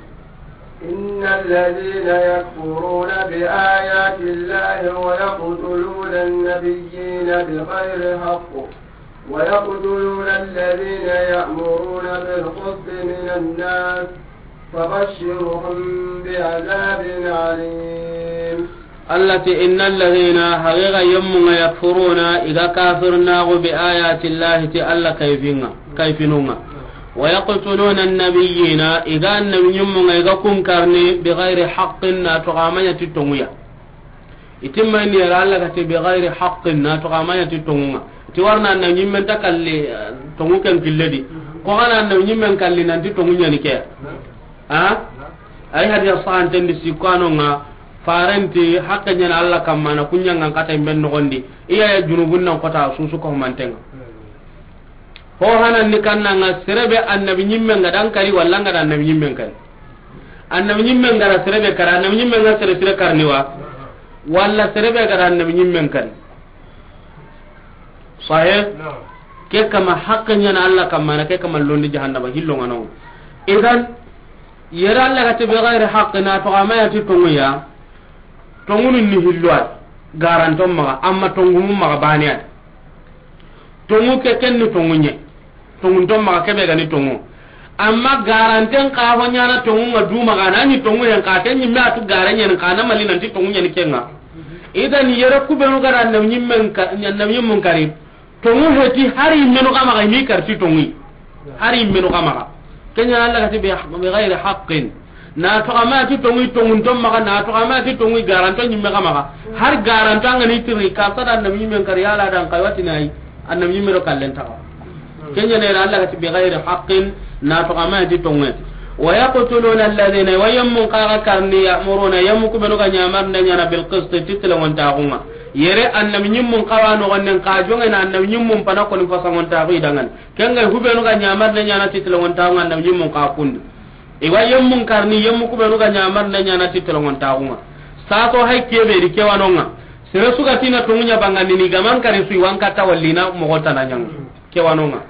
إن الذين يكفرون بآيات الله ويقتلون النبيين بغير حق ويقتلون الذين يأمرون بالقسط من الناس فبشرهم بعذاب أليم. Alla ti, إن الذين, haqiqa yemmu ŋa, يكفرون, i ga kafirnaxu, بآيات الله, ti Alla kayfin ŋa, kayfinu ŋa. ويقتلون النبيين, i ga annabi ɲimmu ŋa, i ga kun karni, بغير حق, na toxo a ma ɲa ti tonŋu ya. I timma ni yere Alla ga ti بغير حق, na toxo a ma ɲa ti tonŋu ŋa. Ti warna annabi ɲimmen ta kalli, eh, tonŋu ken kille di. Ko xa na annabi ɲimmen kalli nan ti tonŋu ɲa ni ke. A? Ay hadiya sahanten di sikko a no ŋa, faren ti haqqe ɲa na Alla kamma na kun ɲangan kata i men noxon di. I ya ya junubun nan kota susu ko manten ŋa. Ho hanan ni kannan ŋa, sere be annabi ɲimmen ga da an kari, walla an ga da annabi ɲimmen kari. Annabi ɲimmen ga da sere be kari, annabi ɲimmen ga sere sire karni wa, walla sere be ga da annabi ɲimmen kari. Sahih? Naam. Ke kama haqqe ɲa na Alla kamma na, ke kama londi jahannaba, hillo ŋa no. Idan, yere Alla ga ti بغير حق, na toxo a ma ɲa ti tonŋu ya, tonŋu ni hillo ay, garanton maxa, amma tonŋu mu maxa bane ay. Tonŋu ke ken ni tonŋu ɲa. Tonŋun ton maxa, ke be ga ni tonŋu. Amma garanten xa ho ɲa na tonŋu ŋa du maxa, na ni tonŋu yen xa, ken ɲimme a tu gare ɲa ni xa, na mali nan ti tonŋu ɲa ni ken ŋa. Idan yere ku be nu ga da annabi ɲimmen ka, annabi ɲimmun kari. Tonŋu heti hari menu xa maxa, i mi kari ti tonŋu. Hari menu xa maxa. Ken ɲa Alla ga ti بغير حق. Na toxo a ma ti tonŋu, tonŋun ton maxa, na toxo a ma ti tonŋu, garanto ɲimme xa maxa. Har garanto an ga ni tiri, ka sa da annabi ɲimmen kari, yala dan kay wati na yi, annabi ɲimme do kallen taxa. Ken ɲa ne Alla ga ti بغير حق, na toxo a ma ti tonŋu. ويقتلون الذين, wa yemmun xa ga karni, يأمرون, yemmu ku be nu ga ɲamarinde ɲa na بالقسط, ti telengontaxu ŋa. Yere annabi ɲimmun xa wa noxonden xa jonŋe na annabi ɲimmun pana koni fasangontaxu i danŋa ni. Ken ga hu be nu ga ɲamarinde ɲa na ti telengontaxu ŋa, annabi ɲimmun xa kundi. I wa yemmun karni, yemmu ku be nu ga ɲamarinde ɲa na ti telengontaxu ŋa. Saso hay ke be di ke wa no ŋa. Sere su ga ti na tonŋu ɲa bangandini, ga man kari su i wa n katta walli na moxo tana ɲa ŋa. Ke wa no ŋa.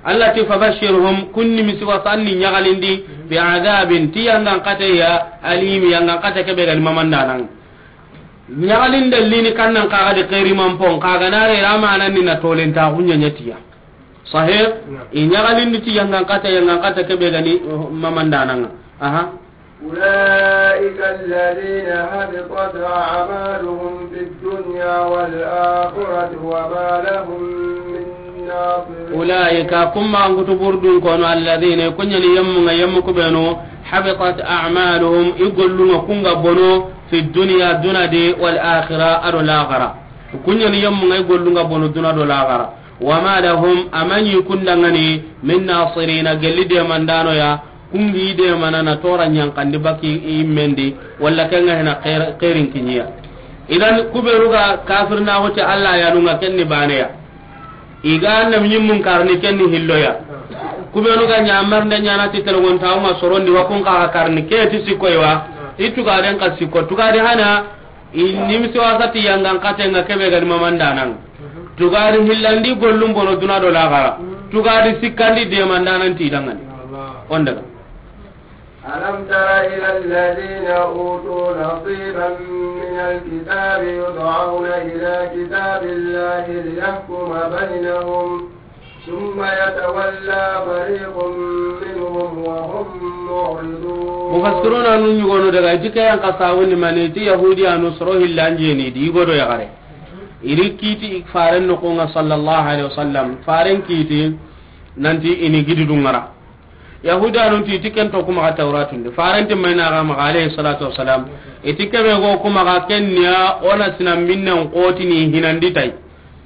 Alla ti فبشرهم, kun nimisi wasa, an ni ɲaxalindi, بعذاب, ti yangan kate ya, أليم, yangan kate ke be ga ni mamandana ŋa. Ɲaxalinde lini kannan xa ga di xeri man pon, xa ga na re ra ma nan ni na tolentaxu ɲa ɲa ti ya. Sahih? Naam. I ɲaxalindi ti yangan kate, yangan kate ke be ga ni, uh, mamandana ŋa. Aha. أولئك الذين حبطت أعمالهم في الدنيا والآخرة وما لهم من ناصرين. أولئك, kun ma an kutu burdun kono, الذين, kun ɲa ni yemmu ŋa, yemmu ku be nu, حبطت أعمالهم, i gollu ŋa kun ga bono, في الدنيا, duna di, والآخرة, a do laxara. Ku ɲa ni yemmu ŋa i gollu ŋa bono duna do laxara. وما لهم, a ma ɲi kundangani, من ناصرين, gelli demandano ya, ku ŋi demana na tora ɲankandi baki i mendi, walla ke ŋa hina xeer-, xeerin kiɲiya. Idan, ku beenu ga kafirnaxu ti Alla yanu ŋa, ken ni baane ya. I ga annabiyinmun karni, ken ni hillo ya. Ku beenu ga ɲamarnde ɲaana ti telegontaxu ŋa sorondi, wa kun xa ga karni, ke ti sikko yi wa. I tugaden xa sikko, tugadi hana, i nimisi wasa ti yangan xate ŋa, ke be ga ni mamandanan. Tugadi hillandi gollun bono duna do laxara. Tugadi sikkandi demandanan ti dangani. On daga. ألم تر إلى الذين أوتوا نصيبا من الكتاب يدعون إلى كتاب الله ليحكم بينهم ثم يتولى فريق منهم وهم معرضون. Mufassiruna nun ɲugonu daga, i ti ke yan xa sawundi mani, i ti Yahudiyanu soro hillanjeni di, i godo yaxare. I ri kiti i faren noxu ŋa, sallallahu alaihi wasallam. Faren kiti nanti i ni gidudu ŋara. Yahudanun ti, ti ken to ku maxa Tawratun di. Faren ti mayna ga maxa, alayhi salatu wassalam. I ti ke be go ku maxa, ken ni ya, o na sina minnen xoti ni hinandi tay.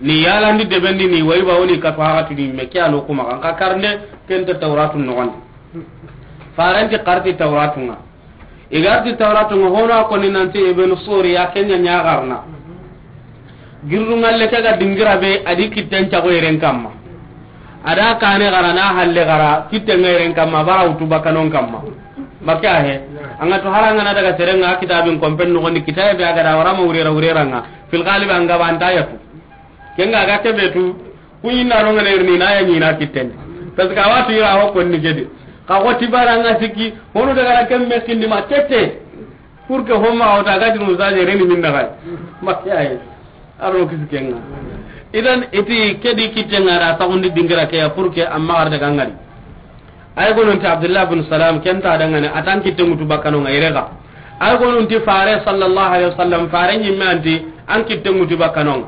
Ni yalandi debendi ni, wa i ba woni katu haxatu ni me, ke ya no ku maxa. Nxa karnde, ken ta Tawratun noxon di. Faren ti xa ri ti Tawratun ŋa. I ga ri ti Tawratun ŋa, hono a koni nanti Ibn Suriya, ken ɲa ɲaxarna. Girru ŋalle ke ga dingira be, a di kitten cago yeren kamma. A da kane xara, na halle xara, kitten ŋa yeren kamma, bara wutu bakkanon kamma. Bakke a he. An ga to hara ŋa na daga seren ŋa kitabin kompen noxon di, kitabe be a ga da wara ma wurera wurera ŋa. Fil ghalib an ga ba an ta yatu. Ken ga ga ke be tu, ku ɲi na ro ŋa ne ri ni na ya ɲi na kitten. Parce que a wa tu i ra ho konni ke di. Xa xo ti bara ŋa sikki, hono daga ra ken me kindi ma tete. Pour que ho ma wota ga dinu zaje reni min na ga. Ma ke ay. A ro kisi ken ŋa. Idan i ti ke di kitten ŋa da saxundi dingira ke ya, pour que amma ar daga ŋari. Ay gonun ti Abdullah bin Salam, ken ta dangane, a ti an kitten ŋutu bakkanon ŋa, i re ga. Ay gonun ti fare sallallahu alaihi wasallam, fare ɲimme an ti an kitten ŋutu bakkanon ŋa.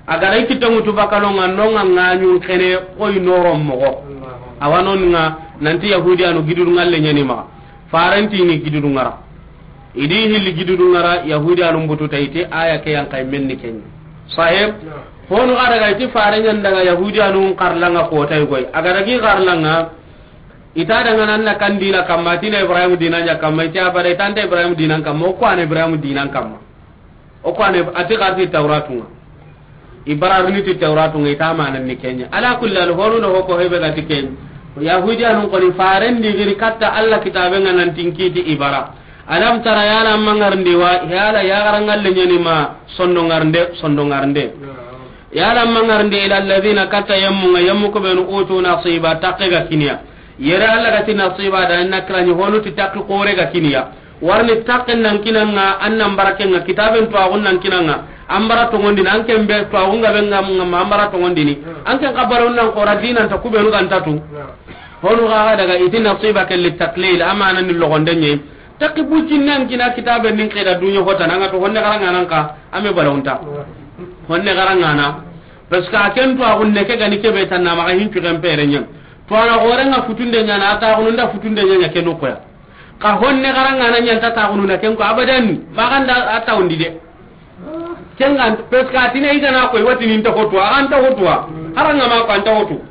A ga ra i kitten ŋutu bakkanon ŋa, non ŋa ŋaɲun xene koy noron moxo. Awa non ŋa nanti Yahudiyanu gidudu ŋalle ɲa ni maxa. Faren ti ni gidudu ŋara. I di hilli gidudu ŋara, Yahudiyanun butu ta, i ti aya ke yan xa yi men ni ken ɲa. Sahib, honu ga daga i ti faren ɲa n daga Yahudiyanun xarla ŋa ko tay goy. A ga dagi xarla ŋa, i ta dangana an na kan dina kamma, a ti na Ibrahim dina ɲa kamma, i ti abada, i ta nta Ibrahim dinan kamma, o ku a na Ibrahim dinan kamma. O ku a na, a ti xa ri ti Tawratun ŋa. I bararini ti Tawratun ŋa, i ta manan ni ken ɲa. Ala kulli hal, honu no ho ko hebe ga ti ken ɲa. Yahudiyanun koni faren di giri katta Alla kitaben ŋa nanti n kiti i bara. Alam tara, yala mangarndi wa, yala yaxara ŋalle ɲa ni ma, sondongarnde, sondongarnde. Yala mangarndi ila alladhina, katta yemmu ŋa, yemmu ku benu utu nasiba, takke ga kini ya. Yere Alla ga ti nasiba da, na kira ɲi honu ti takke xore ga kini ya. Warni takke nan kini an ŋa, an nan bara ken ŋa, kitaben tuwaxun nan kini an ŋa, an bara tongondini, an ken be tuwaxun ga be ŋa, ŋa ma an bara tongondini, an ken xa bara nan xora dinan ta ku benu ga nta tu. Honu xa ga daga i ti nasiba ke li taklil, amana ni logonde ɲe. Takki buccinne an kina kitabe nin xeda duɲa hotana, an ga to honne xara ŋana an xa, a me balawunta. Honne xara ŋana. Parce que a ken tuwaxun ne ke ga ni ke be tanna maxa hincu ken pere ɲa. Tuwana xore ŋa futunde ɲana, a taxunu nda futunde ɲa ɲa ke noxoya. Xa honne xara ŋana ɲa nta taxunu na ken ko abadan, maxa nda a tawundi de. Ken ŋa, parce que a ti ne i ga na koy, wa ti ni nta hotu, a xa nta hotu wa. Xara ŋa ma ko a nta hotu.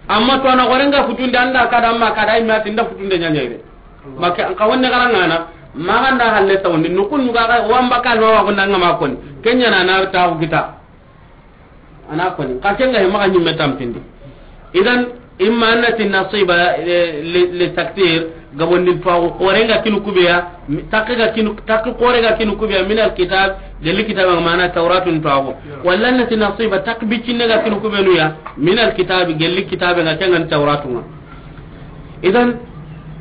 Amma tuwana xore ŋa futunde, an da ka da, amma ka da, i ma ti nda futunde ɲa ɲa ire. Ma ke, xa honne xara ŋana, maxa nda halle tawundi, nukun ɲuga xa, wamba ka no wa ko nda ŋa ma koni. Ken ɲa na na taxu kita. A na koni, xa ken ga he maxa ɲimme tampindi. Idan, imma an na ti nasiba, eh, li, li taktir, gabondi tuwaxu, xore ŋa kinu ku be ya, mi, takke ga kinu, takke xore ga kinu ku be ya, min alkitab, gelli kitabe ŋa mana Tawratun tuwaxu. Walla an na ti nasiba, takke biccinne ga kinu ku benu ya, min alkitab, gelli kitabe ŋa ken ŋa ni Tawratun ŋa. Idan,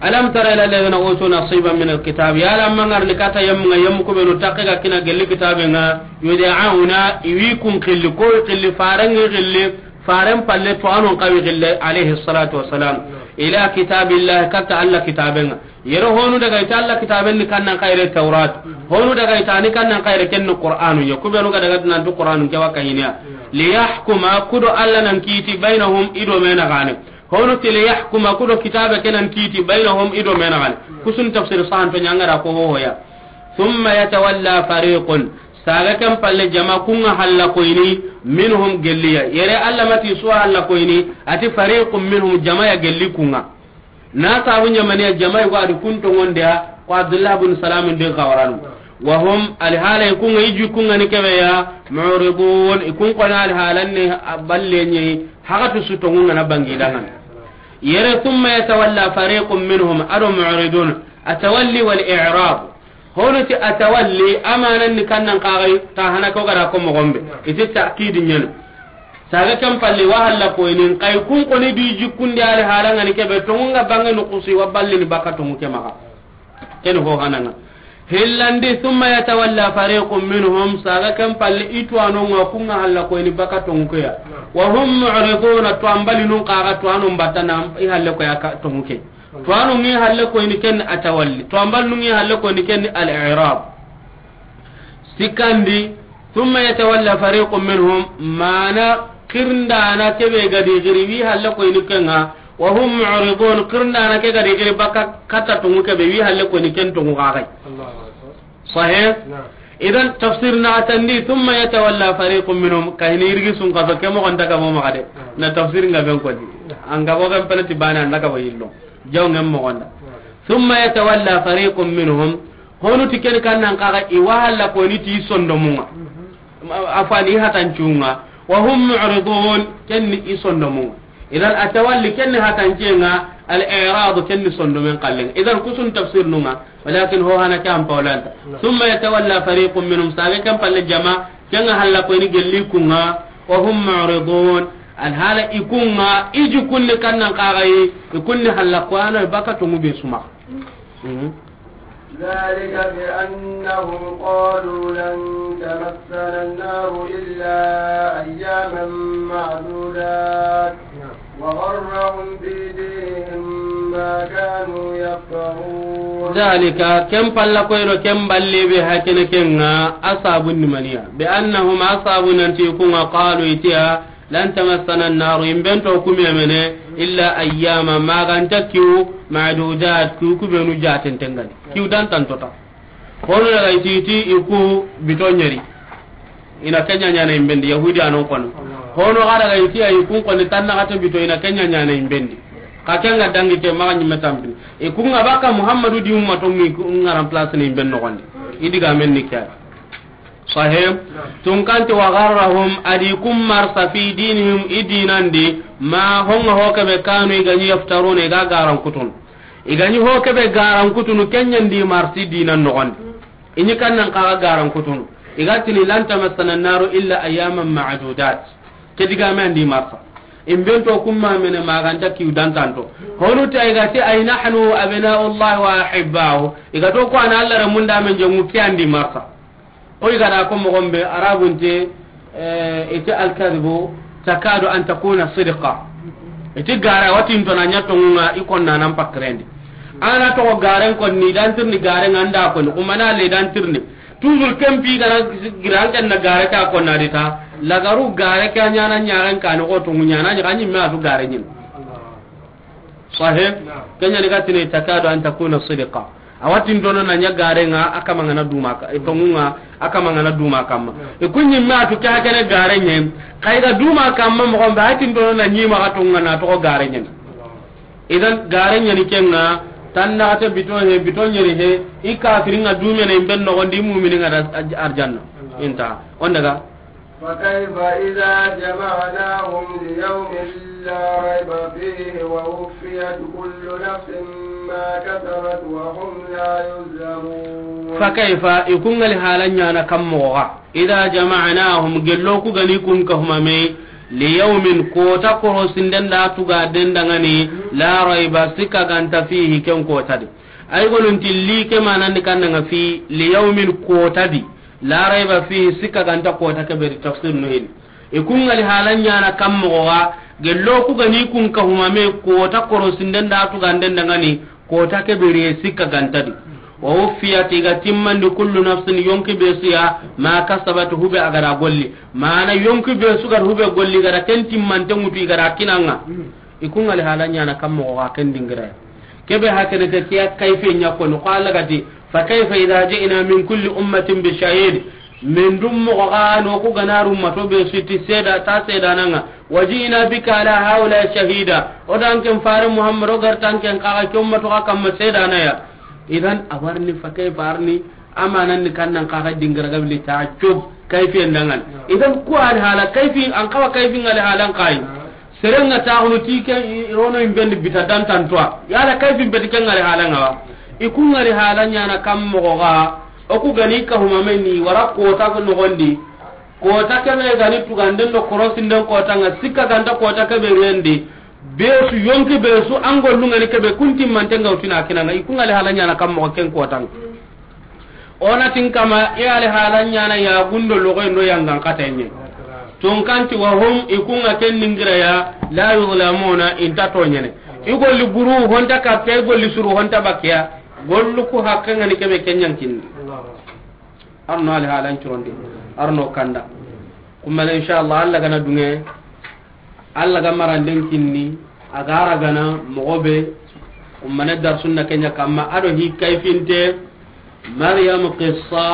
alam tara ila alladhina utu nasiban min alkitab. Yala mangarni katta yemmu ŋa, yemmu ku benu takke ga kina gelli kitabe ŋa, yud'auna, i wi kun xilli, ko wi xilli, faren ŋi xilli, faren palle to anon xa wi xilli, alayhi salatu wassalam. Ila kitabillah, katta Alla kitabe ŋa. Yere honu daga i ti Alla kitaben ni kannan xayre Tawrat. Honu daga i ti ni kannan xayre ken ni Qur'anu ya. Ku benu ga daga nan tu Qur'anu ke wa ka hiniya. Liyahkuma, ku do Alla nan kiti, bainahum, i do me na gane. Hono ti liyahkuma, ku do kitabe ke nan kiti, bainahum, i do me na gane. Kusun tafsir sahan to ɲa ŋa ra ko ho ho ya. Thumma yatawalla fariqun. Saga ken palle jama kunga halla koyni, minhum gelliya. Yere Allah mati suwa halla koyni, ati fariqun minhum, jama ya gelli kunga. Na sabu ɲamaniya jama yugo adi kun tongondiya, ko Abdullah bin Salam ndi xawaranu. Wa hum, alhala ikunga iji kunga ni kebeya, mu'ridun, ikun kona alhalan ni balle ni, hagatu su tongunga na bangi dangan. Yere thumma yatawalla fariqun minhum, ado mu'ridun, atawalli wal i'rab. Hono ti atawalli, amanan ni kannan kagai, ta hana ko gara ko mogombe. Iti ta'kid nyana. Saga ken palle wa halla koyni, kay kun koni di jikkundi ali halanga ni kebe, tongunga bange no kusi wa balli ni baka tongu ke maga. Ken ho hananga. Hillandi, thumma yatawalla fariqun minhum, saga ken palle itwano nga kunga halla koyni baka tongu ke ya. Wa hum mu'riduna, to ambali nun kaga to anon batana i halle ko ya ka tongu ke. To anu ngi halle koyni ken atawalli. To ambal nu ngi halle koyni ken al-i'rab. Sikandi, thumma yatawalla fariqun minhum, mana kirndana kebe gadi giri wi halle koyni kenga, wa hum mu'ridun, kirndana ke gadi giri baka kata tungu kebe wi halle koyni ken tungu kagai. Allahu Akbar. Sahih? Naam. Idan tafsir na atandi, thumma yatawalla fariqun minhum, kahini irgi sun kaso ke mo gonda ga mo magade. Naam. Na tafsir nga ben ko di. Naam. Anga bo ben penati bana anda ga bo yillo. Jaw ngem mo gonda. Naam. Thumma yatawalla fariqun minhum, honu ti ken kannan kaga i wa halla koyni ti sondomunga. Mhm. Afani hatancunga. Wa hum mu'ridun, ken ni i sondomunga. Idan atawalli ken ni hatancenga, al-i'rad ken ni sondomen kallenga. Idan kusun tafsir nunga, walakin ho hana ke an pawlanta. Naam. Thumma yatawalla fariqun minhum, saga ken palle jama, kenga halla koyni gelli kunga, wa hum mu'ridun. Alhala ikunga, iji kunni kannan kagai, ikunni halla koyano baka tungu be suma. Mhm. ذلك بأنهم قالوا لن تمسنا النار إلا أياما معدودات وغرهم في دينهم ما كانوا يفترون. ذلك, ken palla koyno, ken balle be hakene kenga, asabun nimaniya. بأنهم, asabun nanti kunga, قالوا, itiya, لن تمسنا النار, in bento kumemene, إلا أياما, maganta kiw, معدودات, kiw kubenu jaten tengani. Kiw dan tantota. Hono daga iti, iti iku bito nyeri. Ina kenya nyana imbendi, Yahudi anon kono. Hono ga daga iti ay kun kono tanna kata bito ina kenya nyana imbendi. Ka kenga dangi te maga nyime tampi. Ikunga baka Muhammadu di umma to ngi kunga remplace ni imben no gonde. Idiga men ni kya. Sahih. Tun kanti وغرهم, adi kum marsa في دينهم, i dinandi, ma honga hokebe kanu i gani يفترون, i ga garan kutun. I gani hokebe garan kutunu kenyandi marsi dinan nogondi. Ini kannan kaga garan kutunu. I ga tini لن تمسنا النار إلا أياما معدودات. Ke digame andi marsa. Imbento kumma mene maganta kiw dantanto. Honu ta i ga ti أي نحن أبناء الله وأحباؤه. I ga to ko ana Allah ramunda men jongu ke andi marsa. Koy gada ko mogon be, Arabun te, eh, ite الكذب تكاد أن تكون صدقا. Ite gara watin to na nya tongunga i konna nan pakrendi. Ana to garen kon ni dan tirni garen anda kon, kuma na le dan tirni. Toujours kempi gara giran kan na gare ka konna dita. Lagaru gare ka nyana nyaran kan ko tongu nyana ni kan nyimme atu gare nyin. Sahih? Naam. Kenya ni gatini تكاد أن تكون صدقا. Awatin dono na nya garenga, akama ngana duma ka, e tongunga, akama ngana duma kamma. Naam. E kunyi ma tu ka kene garenye, kai ga duma kamma mo gombe atin dono na nyi ma gatunga na to garenye. Idan garenye ni kenga, tanna ta bito he, bito nyeri he, i kafiringa dume ne imben no gondi mu'mini ngada arjanna. Inta. On daga. فكيف إذا جمعناهم ليوم لا ريب فيه ووفيت كل نفس ما كسبت وهم لا يظلمون. فكيف, i kungali halanyana kammoga, إذا جمعناهم, gello ku gani kun kahumame, ليوم, kota koro sinden da tuga dendangani, لا ريب, sika ganta فيه, ken kota di. Ay gonun tilli ke manandi kannanga في, ليوم, kota di. لا ريب فيه, sika ganta kota ke beri tafsir no hini. E kungali halanyana kammoga, gello ku gani kun kahumame kota koro sinden da tuga dendangani, kota ke beri sika ganta di. ووفيت, i ga timmandi كل نفس, yonki be suya, ما كسبت, hube agara golli. Mana yonki be sugar hube golli gara ken timmante mutu i gara kinanga. I kungali halanyana kammoga ken dingira. Kebe hakene te kiya kayfe nya ko no qala gati. فكيف إذا جئنا من كل أمة بشهيد. Min dun moxo ga no ku ga na ri ummato be su ti seeda, ta seedana ŋa. وجئنا بك على هؤلاء شهيدا. O da an ken faare Muhammad, o ga ri ta an ken xa ga ke ummato ga kamma seedana ya. Idan a wa ri ni فكيف, a ri ni amanan ni kannan xa ga dingira ga bili ta cub kayfiyen dangan. Idan ku a ri hala kayfi, an xa wa kayfi ŋa ri halan xa yi. Seren ŋa taxunu ti ke i rono in bendi bita dantantoa. Yala kayfin beti ke ŋa ri hala ŋa wa? I ku ŋa ri hala ɲaana kam moxo ga, o ku ga ni ka humameni wara kota ko noxondi. Kota kebe ga ni tuganden do korosinden kota ŋa, sikka ganta kota kebe rendi. Be su yonki be su an gollu ŋa ni kebe kunti mante ŋa utina kina ŋa. I ku ŋa ri hala ɲaana kam moxo ken kota ŋa. O na tin kama, i ali hala ɲaana ya gundo logoyen do yangan katenye. Tunkanti وهم, i ku ŋa ken ningira ya, لا يظلمون, i nta toɲene. I golli buru honta kappe, i golli suru honta bakkiya. Gollu ku hakke ŋa ni kebe ken ɲan kinni. Arno ali halan curondi. Arno kanda. Kummana, inshallah, Allah ga na dunge. Allah ga maranden kinni, a ga ra gana moxo be, kummana darsun na ke ɲa kamma, a do hi kayfinte, Maryam qissa,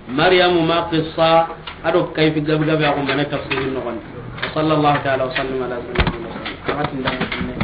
Maryam ma qissa, a do kayfi gabe gabe, a kummana tafsirin noxon. وصلى الله تعالى وسلم على سيدنا محمد.